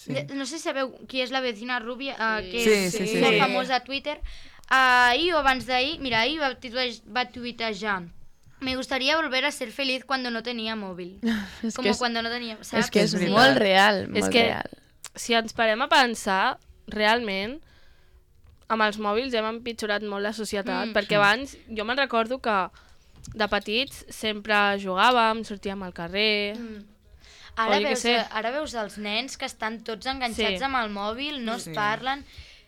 Sí. De- No sé si sabeu qui és la vecina rubia, uh, que Sí, és sí, sí. molt Sí. famosa a Twitter. Uh, ahir o abans d'ahir, mira, ahir va, tuite- va tuitejar: me gustaría volver a ser feliz cuando no tenía móvil. És Como que és, cuando no tenía, ¿sabes? és que és Sí. molt real, molt És que real. si ens parem a pensar, realment, amb els mòbils hem empitjorat molt la societat, Mm. perquè abans jo me'n recordo que de petits sempre jugàvem, sortíem al carrer... Mm. O Ara jo què veus, sé. ara veus els nens que estan tots enganxats Sí. amb el mòbil, no es parlen.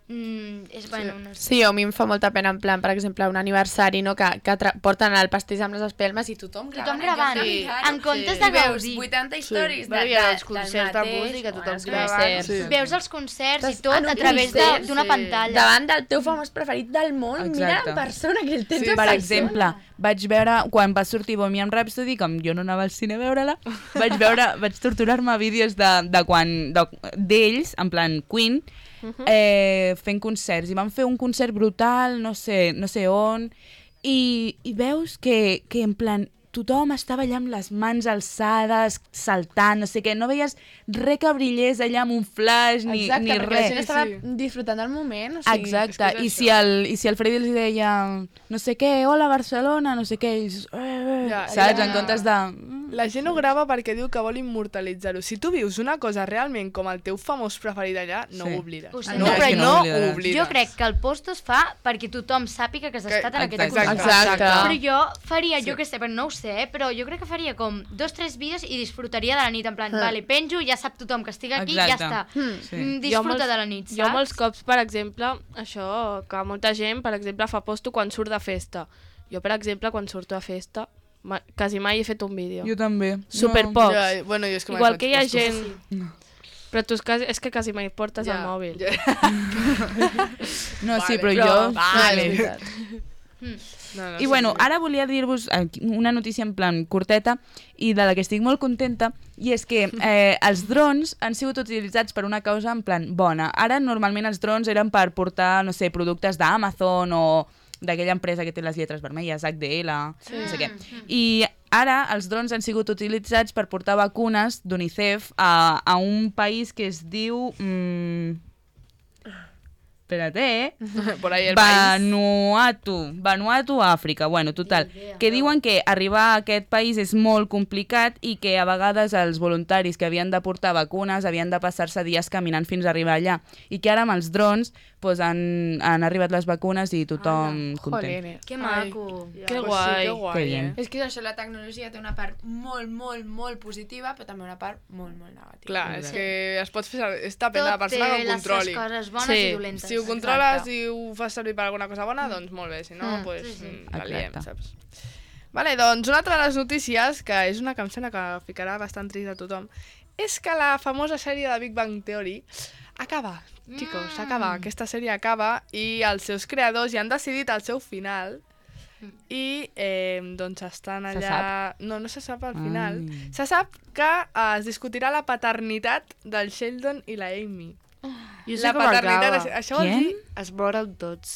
Mm, és, bueno, no sé. Sí, a mi em fa molta pena, en plan, per exemple, un aniversari, no?, que, que tra- porten el pastís amb les espelmes i tothom gravant. Tothom gravant, en lloc de sí. mirar-ho. en comptes I de veus gaudir. vuitanta històries Bueno, de, i ara de, els concerts de del mateix, música, tothom o els gravant. concerts. Sí. Veus els concerts i Estàs tot en un a través de- concert, d'una sí. pantalla. davant del teu famós preferit del món, Exacte. mira en persona, que el tens Sí, en Per persona. exemple, vaig veure, quan va sortir Bohemian Rhapsody, com jo no anava al cine a veure-la, vaig veure, vaig torturar-me a vídeos de, de quan, de- d'ells, en plan Queen, eh, fent concerts. I van fer un concert brutal, no sé, no sé on, i, i veus que, que en plan tothom estava allà amb les mans alçades, saltant, no sé què, no veies res que brillés allà amb un flash ni, Exacte, ni perquè la res. gent estava Sí. disfrutant del moment. O sigui, Exacte, és que és I, si això. el, i si el Freddy els deia no sé què, hola Barcelona, no sé què, ells, eh, eh, Ja, saps, ja. en comptes de... La gent ho grava perquè diu que vol immortalitzar-ho. Si tu vius una cosa realment com el teu famós preferit allà, no Sí. ho oblides. Ho sé. No, No, però és que no no ho ho oblidaràs. oblides. Jo crec que el post es fa perquè tothom sàpiga que has Que- estat en aquest exacte. concert. Exacte. Però jo faria, jo què sé, però no ho sé, eh, però jo crec que faria com dos, tres vídeos i disfrutaria de la nit, en plan, Ah. vale, penjo, ja sap tothom que estic aquí, Exacte. ja està. Sí. Mm, Jo disfruta molts- de la nit, saps? Jo molts cops, per exemple, això, que molta gent, per exemple, fa posto quan surt de festa. Jo, per exemple, quan surto a festa, ma quasi mai he fet un vídeo. Jo també. Superpocs. Ja, bueno, jo és que mai Igual faig que hi ha postos. gent... Però tu és, quasi, és que quasi mai portes Ja, el mòbil. ja. No, sí, Vale, però, però- jo... Vale. sí. No, no, I bueno, ara volia dir-vos eh, una notícia en plan curteta i de la que estic molt contenta, i és que eh, els drons han sigut utilitzats per una causa en plan bona. Ara normalment els drons eren per portar, no sé, productes d'Amazon o d'aquella empresa que té les lletres vermelles, H D L, sí. no sé què. I ara els drons han sigut utilitzats per portar vacunes d'UNICEF a, a un país que es diu... Mm, espérate, eh? Por ahí el país. Vanuatu. Vanuatu, Àfrica. Bueno, total. Que diuen que arribar a aquest país és molt complicat i que a vegades els voluntaris que havien de portar vacunes havien de passar-se dies caminant fins a arribar allà. I que ara amb els drons pues, han, han arribat les vacunes i tothom Ah, content. joder. Que maco. Que Pues guai. sí, que guai, Que bien. eh? És que això, la tecnologia té una part molt, molt, molt positiva, però també una part molt, molt negativa. Clar, és que es pot fer servir... És depèn de la Tot té persona que ho les controli. seves coses bones Sí. i dolentes. Si ho controles Exacte. i ho fas servir per alguna cosa bona, doncs molt bé, si no, Mm, pues, sí, sí. mm, la liem, Exacte. saps? Vale, doncs una altra de les notícies, que és una cançó que ficarà bastant trist a tothom, és que la famosa sèrie de Big Bang Theory acaba, chicos, acaba. Aquesta sèrie acaba i els seus creadors ja han decidit el seu final i eh, doncs estan Se allà... No, no se sap al final. Ai. Se sap que eh, es discutirà la paternitat del Sheldon i la Amy. Jo sé La com paternitat... acaba. és- Això vol Qui? dir... Es moren tots.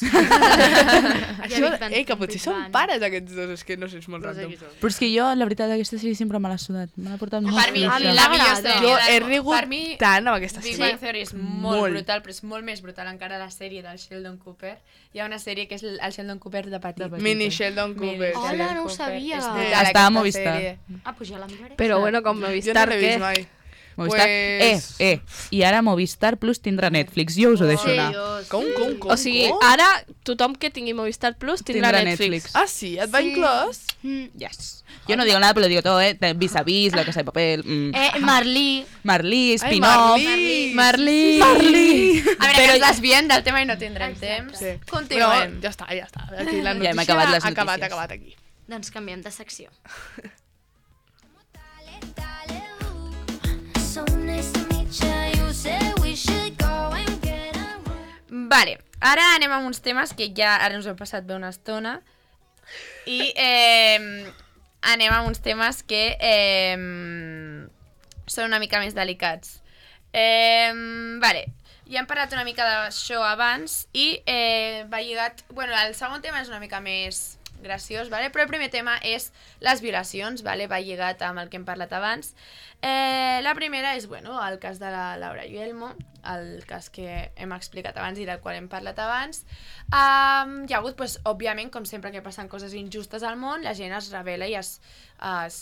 Això, Big Bang- eh, que potser Big són Bang. pares aquests dos, és que no sé, és molt No sé random. qui són. Però és que jo, la veritat, aquesta sèrie sempre me l'ha sudat. Me l'ha portat molt Per mi, A mi la m'agrada. millor sèrie Jo del he món. rigut Per mi, tant amb aquesta Big sèrie. Bang Theory és molt, Molt. brutal, però és molt més brutal encara la sèrie del Sheldon Cooper. Hi ha una sèrie que és el el Sheldon Cooper de petit. De petit. Mini Sheldon Mini Cooper. Hola, Sheldon no ho Cooper. sabia. És Eh, brutal, estava a aquesta Movistar. sèrie. Ah, pues ja la miraré. Però bueno, com Jo no Movistar, l'he què? vist mai. Movistar. Pues- Eh, eh, i ara Movistar Plus tindrà Netflix. Jo us ho deixo Sí, anar. jo, Com, sí. com, com? O sigui, com? ara tothom que tingui Movistar Plus tindrà, Tindrà Netflix. Netflix. Ah, sí? Et va Sí. inclòs? Mm. Yes. Yo no digo nada, pero lo digo todo, ¿eh? Vis a vis, La Casa de Papel, mm. Eh, Marlí. Marlí, Ai, Spin-off. Marlí! Marlí! Marlí! A veure, que ens desviem del tema i no tindrem temps. Sí. Continuem. No, ja està, ja està. Aquí la Ja hem notícia acabat les ha acabat, notícies. ha acabat aquí. Doncs canviem de secció. So nice to meet you. You said we should go and get a room. Vale, ara anem amb uns temes que ja ara ens ho hem passat bé una estona i eh, anem amb uns temes que eh, són una mica més delicats. Eh, vale, ja hem parlat una mica d'això abans i eh, va lligat... Bueno, el segon tema és una mica més graciós, vale? Però el primer tema és les violacions, vale? Va lligat amb el que hem parlat abans. Eh, la primera és, bueno, el cas de la Laura Guillermo, el cas que hem explicat abans i del qual hem parlat abans. Um, hi ha hagut, pues, òbviament, com sempre que passen coses injustes al món, la gent es revela i es, es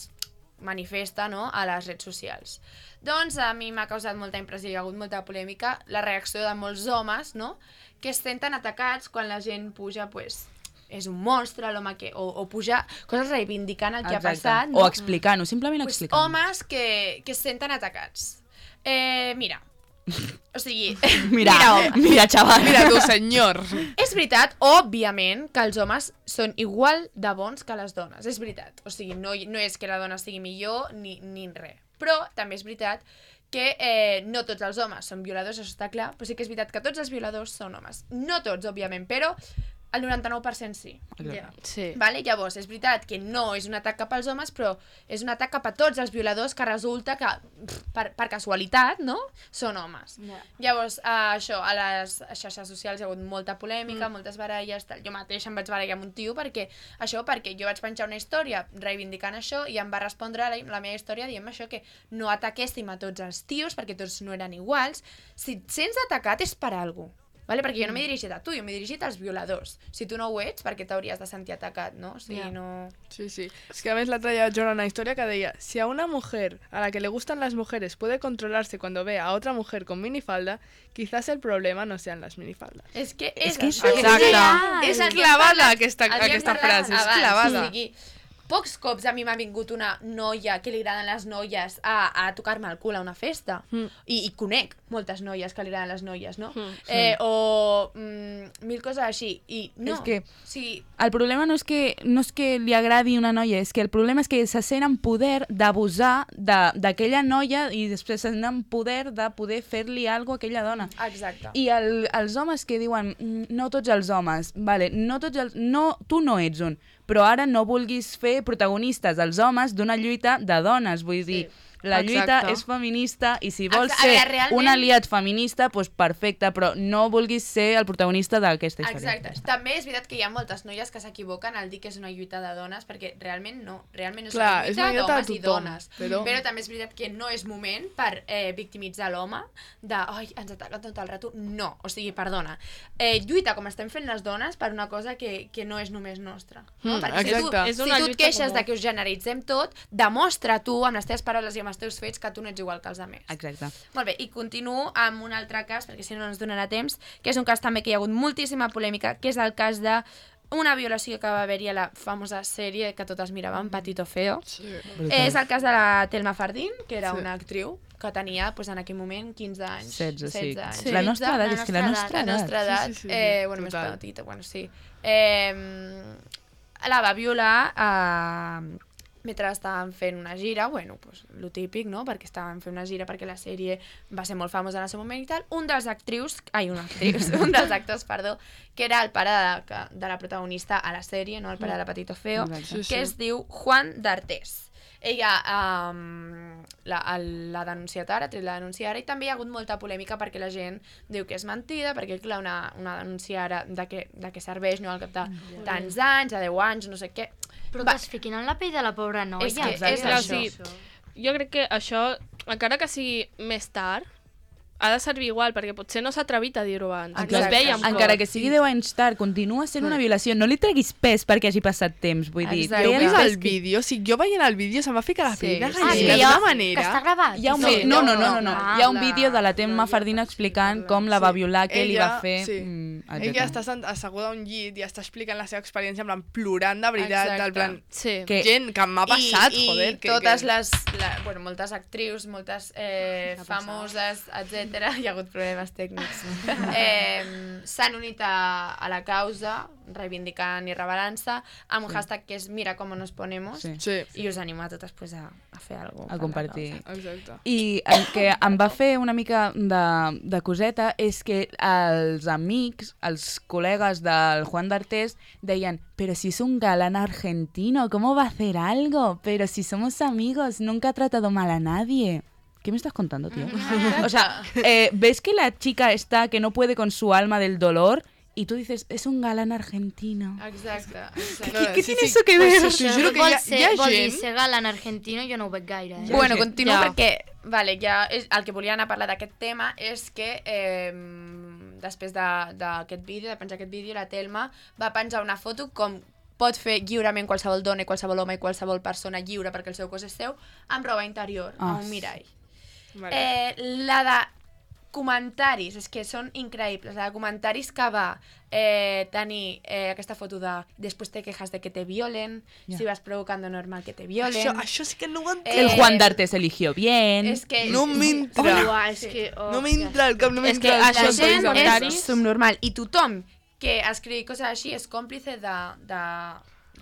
manifesta, no?, a les redes socials. Doncs a mi m'ha causat molta impressió, hi ha hagut molta polèmica, la reacció de molts homes, no?, que es senten atacats quan la gent puja, pues, és un monstre, l'home que... O, o pujar coses reivindicant el que Exacte. ha passat, O no? explicant-ho, simplement Pues, explicant-ho. homes que, que es senten atacats. Eh, mira, o sigui... Mira, mira, home. mira, xaval. Mira tu, senyor. És veritat, òbviament, que els homes són igual de bons que les dones. És veritat. O sigui, no, no és que la dona sigui millor ni, ni res. Però també és veritat que eh, no tots els homes són violadors, això està clar, però sí que és veritat que tots els violadors són homes. No tots, òbviament, però el noranta-nou per cent sí. Ja. Sí. Vale? Llavors, és veritat que no és un atac cap als homes, però és un atac cap a tots els violadors que resulta que, pff, per, per casualitat, no?, són homes. Ja. Llavors, eh, això, a les xarxes socials hi ha hagut molta polèmica, mm. moltes baralles, tal. Jo mateix em vaig barallar amb un tio perquè, això, perquè jo vaig penjar una història reivindicant això i em va respondre la, la meva història dient això, que no ataquéssim a tots els tios perquè tots no eren iguals. Si et sents atacat és per alguna cosa. Vale? Perquè jo no m'he dirigit a tu, jo m'he dirigit als violadors. Si tu no ho ets, perquè t'hauries de sentir atacat, no? O sigui, Ja. no... Sí, sí. Es que a veces la otra día yo era una historia que decía, si a una mujer a la que le gustan las mujeres puede controlarse cuando ve a otra mujer con minifalda, quizás el problema no sean las minifaldas. És que és, És que és això. Exacte. real. És El que hem clavada parlat- aquesta, el que hem aquesta parlat frase, és abans, clavada. O sigui, pocs cops a mi m'ha vingut una noia que li agraden les noies a, a tocar-me el cul a una festa. Mm. I, I conec moltes noies que li agraden les noies, no? Mm. Eh, o mm, mil coses així. I no. És que sí. el problema no és que, no és que li agradi una noia, és que el problema és que se sent en poder d'abusar d'aquella noia i després se sent en poder de poder fer-li alguna cosa a aquella dona. Exacte. I el, els homes que diuen, no tots els homes, vale, no tots els, no, tu no ets un, però ara no vulguis fer protagonistes els homes d'una lluita de dones, vull dir, sí. La lluita Exacte. és feminista i si vols Exacte. ser A veure, realment... un aliat feminista, doncs perfecte, però no vulguis ser el protagonista d'aquesta història. Exacte. També és veritat que hi ha moltes noies que s'equivoquen al dir que és una lluita de dones, perquè realment no, realment és Clar, una és lluita una lluita de d'homes i tothom, dones. però- Però també és veritat que no és moment per eh, victimitzar l'home de, ai, ens ataquen tot el rato. No, o sigui, perdona. Eh, lluita com estem fent les dones per una cosa que, que no és només nostra. No? Mm, Perquè si tu, exacte. És si una tu et lluita queixes comú. de que us generalitzem tot, demostra tu, amb les teves paraules i amb els teus fets, que tu no ets igual que els altres. Exacte. Molt bé, i continuo amb un altre cas, perquè si no no ens donarà temps, que és un cas també que hi ha hagut moltíssima polèmica, que és el cas de una violació que va haver-hi a la famosa sèrie que totes miràvem, Patito Feo. Sí. És el cas de la Telma Fardín, que era Sí. una actriu que tenia pues, en aquell moment quinze anys. setze, sí. anys. Sí. La nostra edat, és que la nostra La edat. nostra edat, Sí, sí, sí, sí. eh, bueno, més Total. petita, bueno, sí. Eh, la va violar a... mentre estaven fent una gira, bueno, pues, lo típic, no?, perquè estaven fent una gira perquè la sèrie va ser molt famosa en el seu moment i tal, un dels actrius, ai, una actrius, un dels actors, perdó, que era el pare de, de la protagonista a la sèrie, no?, el pare de la Patito Feo, Exacte. Sí, sí. que es diu Juan d'Artés. Ella um, l'ha denunciat ara, ha tret la denúncia ara, i també hi ha hagut molta polèmica perquè la gent diu que és mentida, perquè clar, una, una denúncia ara de què, de què serveix, no?, al cap de tants anys, de deu anys, no sé què. Però Va. que es fiquin en la pell de la pobra noia. És que Exacte. és Clar, això. sí. Jo crec que això, encara que sigui més tard, ha de servir igual, perquè potser no s'ha atrevit a dir-ho abans. Exacte. No es veia amb Encara cor. que sigui deu anys tard, continua sent una violació. No li treguis pes perquè hagi passat temps, vull dir. Exacte. Heu té vist els el pes que- vídeo? O sigui, jo veient el vídeo se'm va ficar la pell de Sí. Ah, gallina sí, d'una ja, que manera. està gravat. Hi ha un Sí, vi- no, no, no, no, no. Ah, Hi ha un la- vídeo de la Telma la Fardín explicant com la va violar, què li va fer, Sí. mm, Ella etcètera. està sent- asseguda a un llit i està explicant la seva experiència en plan plorant de veritat, Exacte. del plan... Sí. Que- Gent, que m'ha passat, I, joder. I que, totes que... les, la, bueno, moltes actrius, moltes eh, famoses, etcètera, hi ha hagut problemes tècnics, eh, s'han unit a, a la causa, reivindicant i rebel·lant-se, amb un hashtag que és Mira cómo nos ponemos, Sí. Sí, i us animo a totes pues, a, a fer alguna cosa. A compartir. exacte. I el que em va fer una mica de, de coseta és que els amics, els col·legues del Juan d'Artés deien, pero si es un galán argentino, ¿cómo va a hacer algo? Pero si somos amigos, nunca ha tratado mal a nadie. ¿Qué me estás contando, tío? O sea, eh, ¿ves que la chica está que no puede con su alma del dolor? Y tú dices, es un galán argentino. Exacte, exacte. No, no, ¿Qué sí, tiene sí. eso que Pues ver? t'ho Això juro que vol, hi ha, ser, hi ha vol dir gent... ser galant argentino, jo no ho veig gaire. Eh? Bueno, gent. continuo Ja. perquè vale, ja és, el que volia anar a parlar d'aquest tema és que eh, després de- d'aquest vídeo, de penjar aquest vídeo, la Telma va penjar una foto com pot fer lliurement qualsevol dona i qualsevol home i qualsevol persona lliure perquè el seu cos és seu, amb roba interior, Ah, a un mirall. Vale. Eh, la de comentaris, és que són increïbles, la de comentaris que va eh, tenir eh, aquesta foto de després te quejas de que te violen, Ja. si vas provocando normal que te violen. Això, això sí que no ho entenc. Eh, El Juan d'Artés eligió bien. És que No m'entra. Uah, és que... Oh, No m'entra el cap, no És que m'entra el això cap. són gent comentaris. és subnormal i tothom que escriu coses així és còmplice de... de...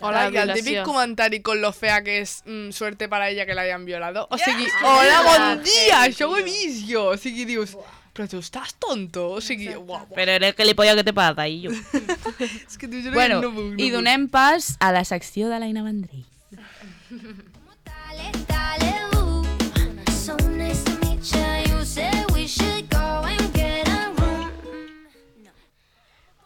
Hola, de i el violació. típic comentari con lo fea que és mm, suerte para ella que la hayan violado. O sigui, és hola, bon veritat, dia, sí, això ho he tio. vist jo. O sigui, dius, però tu estàs tonto? O sigui, uau, uau. Pero eres gilipollas, ¿qué te pasa? Y yo. És que t'ho juro Bueno, que no puc, no i puc. donem pas a la secció de l'Aina Vendrell. Dale, dale, ooh. So nice to meet you. You said we should go and get a room.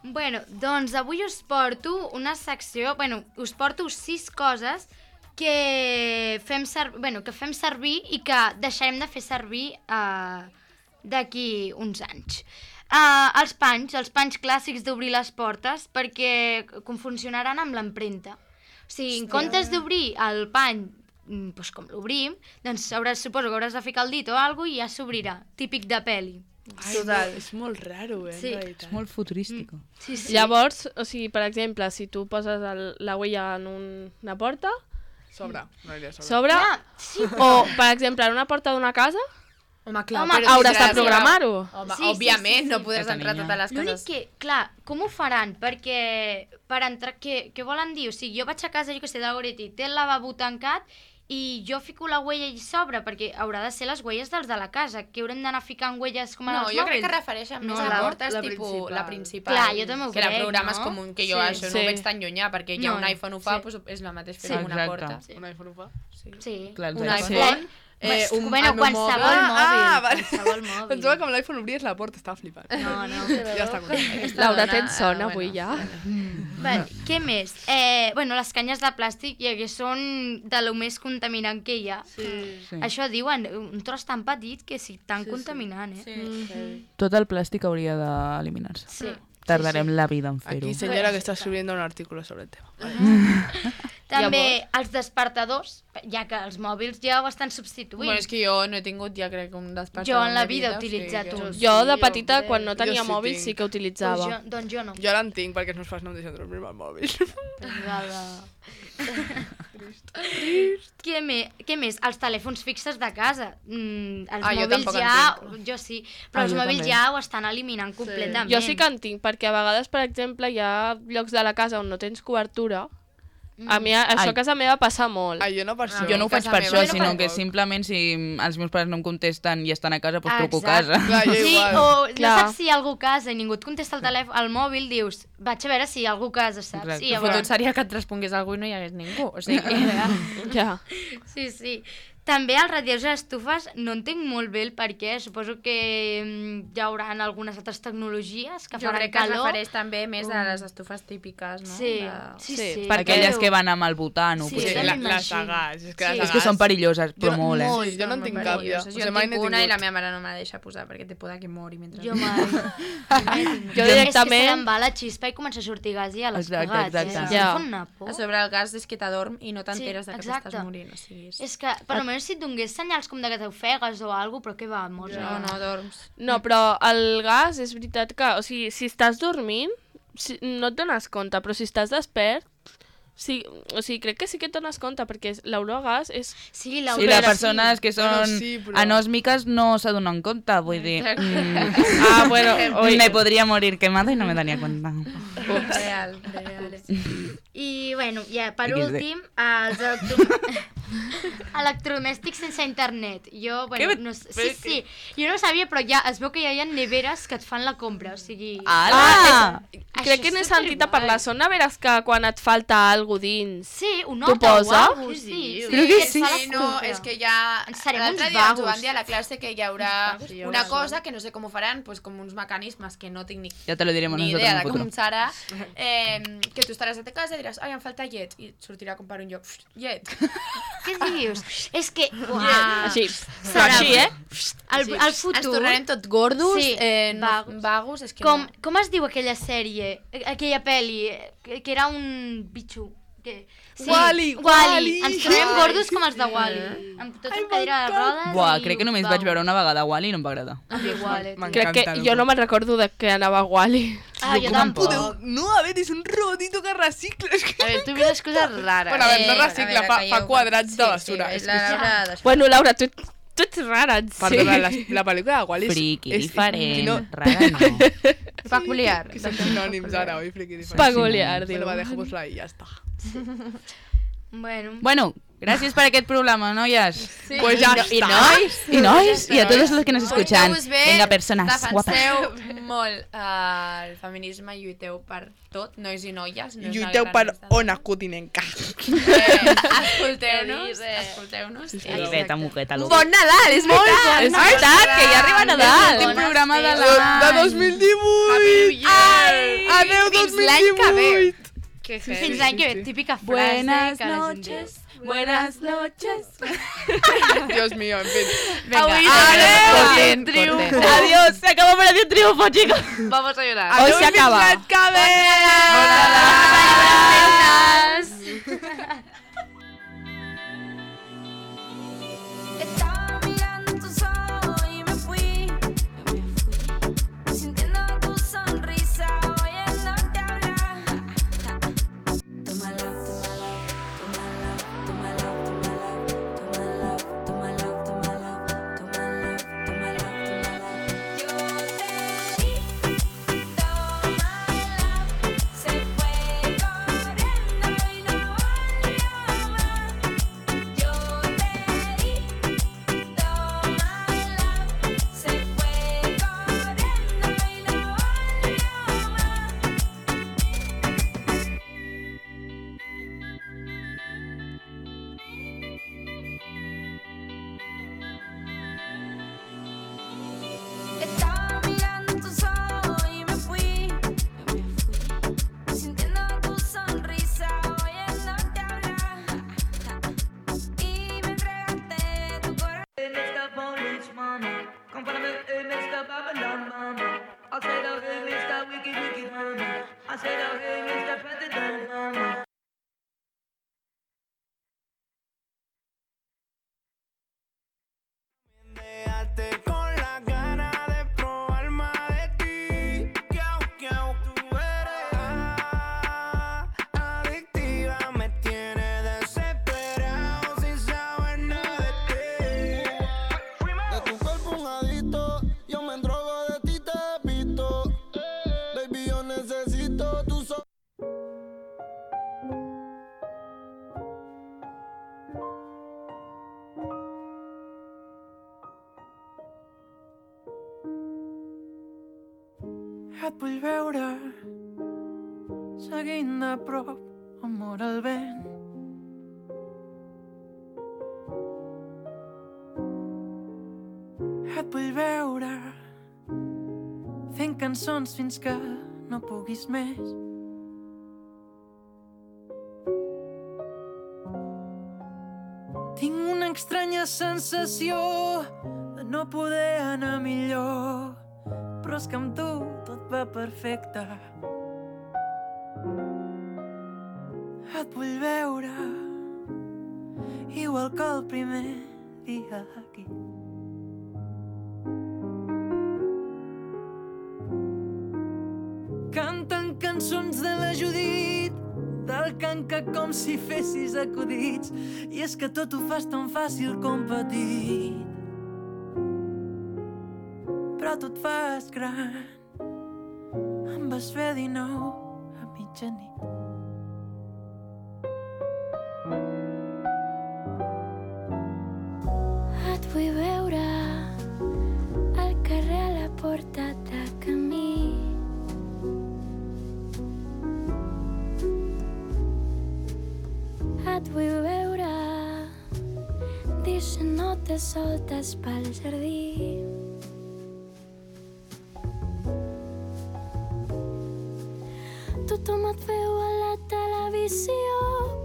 Bueno, doncs avui us porto una secció... Bueno, us porto sis coses que fem, ser, bueno, que fem servir i que deixarem de fer servir uh, d'aquí uns anys. Uh, els panys, els panys clàssics d'obrir les portes, perquè com funcionaran amb l'empremta. O sigui, en comptes d'obrir el pany mm, doncs com l'obrim, doncs hauràs, suposo que hauràs de ficar el dit o alguna cosa i ja s'obrirà. Típic de pel·li. Ai, no, és molt raro, eh, Sí. en realitat. És molt futurístico. Sí, sí. Llavors, o sigui, per exemple, si tu poses el, la huella en un, una porta, Sobre, no aniria sobre. Sobre? Clar, sí, O, per exemple, en una porta d'una casa, Home, clar, Home, però hauràs de tindràs- programar-ho. Home, Sí, sí, òbviament, sí, sí, no sí. podràs Aquesta entrar a niña. totes les l'únic cases. que, clar, com ho faran? Perquè per entrar, què, què volen dir? O sigui, jo vaig a casa, jo que sé, de Goretti, té el lavabo tancat i jo fico la huella allà sobre, perquè haurà de ser les huelles dels de la casa, que haurem d'anar ficant huelles com en No, els jo crec mòbils. que refereixen No, més a la- portes la tipus principal. la principal. Clar, jo també ho que la crec, programes no? com un... Que jo Sí. això no Sí. ho veig tan llunyà, perquè ja No, un iPhone ho fa, sí. doncs és el mateix fer Sí. amb una Exacte. porta. Sí. Un iPhone ho fa? Sí. Sí. Clar, els Un iPhones. iPhone, Eh, eh, un, bueno, el meu qualsevol mòbil. mòbil. Ah, vale. Qualsevol mòbil. Pensava que amb l'iPhone obries la porta, estava flipant. No, no. Ja està content. Aquesta Laura, dona, tens son eh, avui ja? Vale, què més? Eh, bueno, les canyes de plàstic ja que són de lo més contaminant que hi ha. Sí. Sí. Això diuen, un tros tan petit que sí, tan Sí, sí. contaminant, eh? Sí. Tot el plàstic hauria d'eliminar-se. Sí. Tardarem la vida en fer-ho. Aquí, señora, que está escribiendo un artículo sobre el tema. També els despertadors, ja que els mòbils ja ho estan substituint. Bueno, és que jo no he tingut, ja crec, un despertador. Jo en la de vida he o sigui utilitzat que- un. Jo, de Sí, petita, hombre. quan no tenia Jo sí mòbil, tinc. sí que Pues utilitzava. jo, doncs jo no. Jo ara en tinc perquè els meus pares no em deixen dormir amb el mòbil. Què, me, què més? Els telèfons fixes de casa. Mm, els Ah, jo mòbils tampoc en ja... tinc. Jo sí, però Ah, els jo mòbils també. ja ho estan eliminant completament. Jo sí que en tinc, perquè a vegades, per exemple, hi ha llocs de la casa on no tens cobertura. A mi això Ai. a casa meva passa molt. Ah, jo no per això. Jo no ho faig casa per meva això, no sinó tampoc. que simplement si els meus pares no em contesten i estan a casa, doncs truco a Exacte. casa. Clar, jo Sí, igual. o Clar. no saps si hi ha algú a casa i ningú et contesta al telèfon, al mòbil, dius, vaig a veure si hi ha algú a casa, saps? Exacte. I El llavors... fotut seria que et respongués algú i no hi hagués ningú. O sigui, Ja. Sí, sí. També els radiadors i les estufes no entenc molt bé el per què. Suposo que mm, hi haurà algunes altres tecnologies que jo faran crec que es calor. refereix també més a les estufes típiques, no? Sí, De... sí, Sí, sí. perquè Aquelles Déu. que van amb el butano, Sí, Sí, potser. la, també les m'imagino. sagars. És que, Sí. les És que són sagars- perilloses, però Jo- molt, eh? molt. jo no en Són tinc molt cap, perilloses. ja. O Jo sigui, en mai tinc n'he una i la tingut. meva mare no me la deixa posar perquè té por de que mori mentre... Jo mai. jo mai he tingut. Jo És que directament- se'n va la xispa i comença a sortir gas i ja l'has Exacte, pagat. exacte. Eh? Ja. Em fa una por. A sobre el gas és que t'adorm i no t'enteres Sí, de que exacte. t'estàs morint. O sigui, és... És que, per almenys si et donés senyals com de que t'ofegues o alguna cosa, però què va, mors. No, no, dorms. No, però el gas és veritat que... O sigui, si estàs dormint, si, no et dones compte, però si estàs despert... Sí, o sigui, crec que sí que et dones compte, perquè l'olor a gas és... Sí, la Sí, les persones que Bueno, són sí, però- anòsmiques no se donen compte, vull dir... Exacte. mm, Ah, bueno, oi, me podría morir quemada y no me daría cuenta. Real, real. I, bueno, ja, per equis de. últim, els electro... electrodomèstics sense internet. Jo, bueno, Què? no, sé- sí, sí, jo no ho sabia, però ja es veu que ja hi ha neveres que et fan la compra, o sigui... Ala! crec que n'he sentit a parlar. Són neveres que quan et falta alguna dins... Sí, un T'ho nota o posa? alguna cosa, sí. Crec que et sí. fa la Sí, no, compra. és que ja... Ens serem L'altre uns dia ens ho vagos. van dir a la classe que hi haurà Uns vagos, una sí, cosa que no sé com ho faran, pues, com uns mecanismes que no tinc ni, Ya te lo diremos ni nosotros idea en de el com futuro. serà, eh, que tu estaràs a ta casa i diràs, ai, em falta llet, i et sortirà a comprar un lloc, llet. Què dius? És que... Uau. Així, però Serà- així, eh? El, el Ens futur... tornarem tot gordos, Sí, eh, no, vagos. vagos, és que Com, no. com es diu aquella sèrie, aquella pel·li, que, que era un bitxo? Que... Sí, Wall-E, Wall-E. Wall-E. Ens trobem Ai, gordos sí, com els de sí. Wall-E. Amb tot Ai, el cadira de rodes Buah, i crec que uns només vagos. vaig veure una vegada Wall-E i no em va agradar. Ah, igual, eh, M'encanta. tio. Crec que Encanta, jo no me'n recordo de que anava a Wall-E. Ah, jo tampoc. tampoc. No, a veure, és un robotito que recicla. És que... A veure, tu mires coses rares. Bueno, a veure, no Eh, recicla, a veure, fa, calleu, fa quadrats de sí, basura. Sí, és la que... Laura després. Bueno, Laura, tu, tu ets rara, en Perdona, la, sí. la pel·lícula de Wall-E és... Friqui, és- diferent, que no- rara no. Peculiar. Que són sinònims ara, oi? Friqui, diferent. Peculiar, diu. Bueno, va, dejémoslo ahí, ya está. Bueno, Bueno, gràcies per aquest programa, noies. Sí. Pues ya I, está. I nois, Y nois, y a todos los que nos escuchan. Porteu-vos bé, Venga, personas guapas. defenseu molt uh, el feminisme, lluiteu per tot, nois i noies. No és una Lluiteu guerra per resta. Ona Kutinenka. Eh, escolteu-nos, escolteu-nos. Ai, veta, muqueta, Un loca. bon Nadal, és veritat. És veritat, que ja arriba Nadal. L'últim Bones programa de festes. l'any. De dos mil divuit! Ai, Adeu, fins dos mil l'any que ve. divuit! Que fins l'any que ve, típica frase Buenas que la gent noches, buenas noches. Dios mío, en fin. Venga, Avui adiós. corten, Triunfo. corten. Adiós, se acabó para un triunfo, chicos. Vamos a llorar. Hoy Adeu se i acaba. fins l'any que ve! Estaba mirando tus ojos y me fui, sintiendo tu sonrisa, oyéndote hablar. Tómala, tómala, tómala, tómala. I'm from the Mister Babylon, mama. I said, oh, hey, Mister Wicked, Wicked, mama. I said, oh, hey, Mister President, mama. Déjate con las ganas de probar más de ti. Que aunque tú eres ah, adictiva, me tiene desesperado sin saber nada de ti. De tu cuerpo un adicto, yo me drogo de ti, te visto. Baby, yo necesito tu so. Et vull veure seguint de prop amor al vent. Et vull veure fent cançons fins que no puguis més. Tinc una estranya sensació de no poder anar millor, però és que amb tu tot va perfecte. Et vull veure igual que el primer dia aquí. Canten cançons de la Judit, del canca com si fessis acudits, i és que tot ho fas tan fàcil com petit. Però tu et fas gran, em vas fer dinou a mitjanit. Et vull veure al carrer a la porta de camí. Et vull veure deixant notes soltes pel jardí. Tothom et veu a la televisió,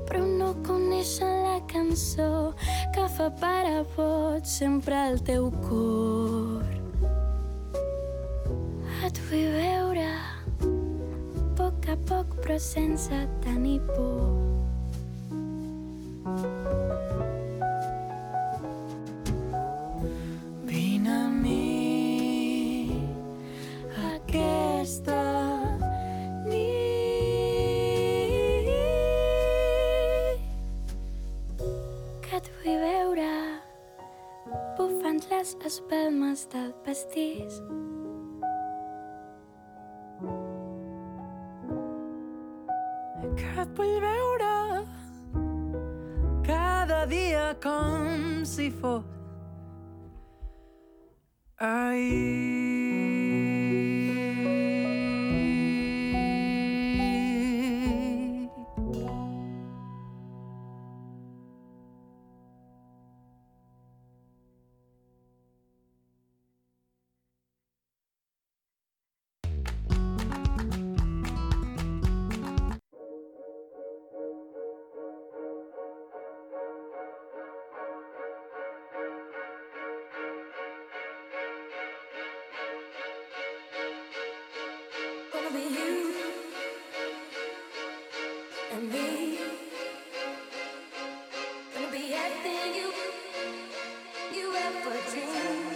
però no coneixen la cançó que fa parar boig sempre el teu cor. Et vull veure a poc a poc però sense tenir por. Vine a mi aquesta les espelmes del pastís. Que et vull veure cada dia com si fos ahir. Gonna be everything you, you ever dreamed.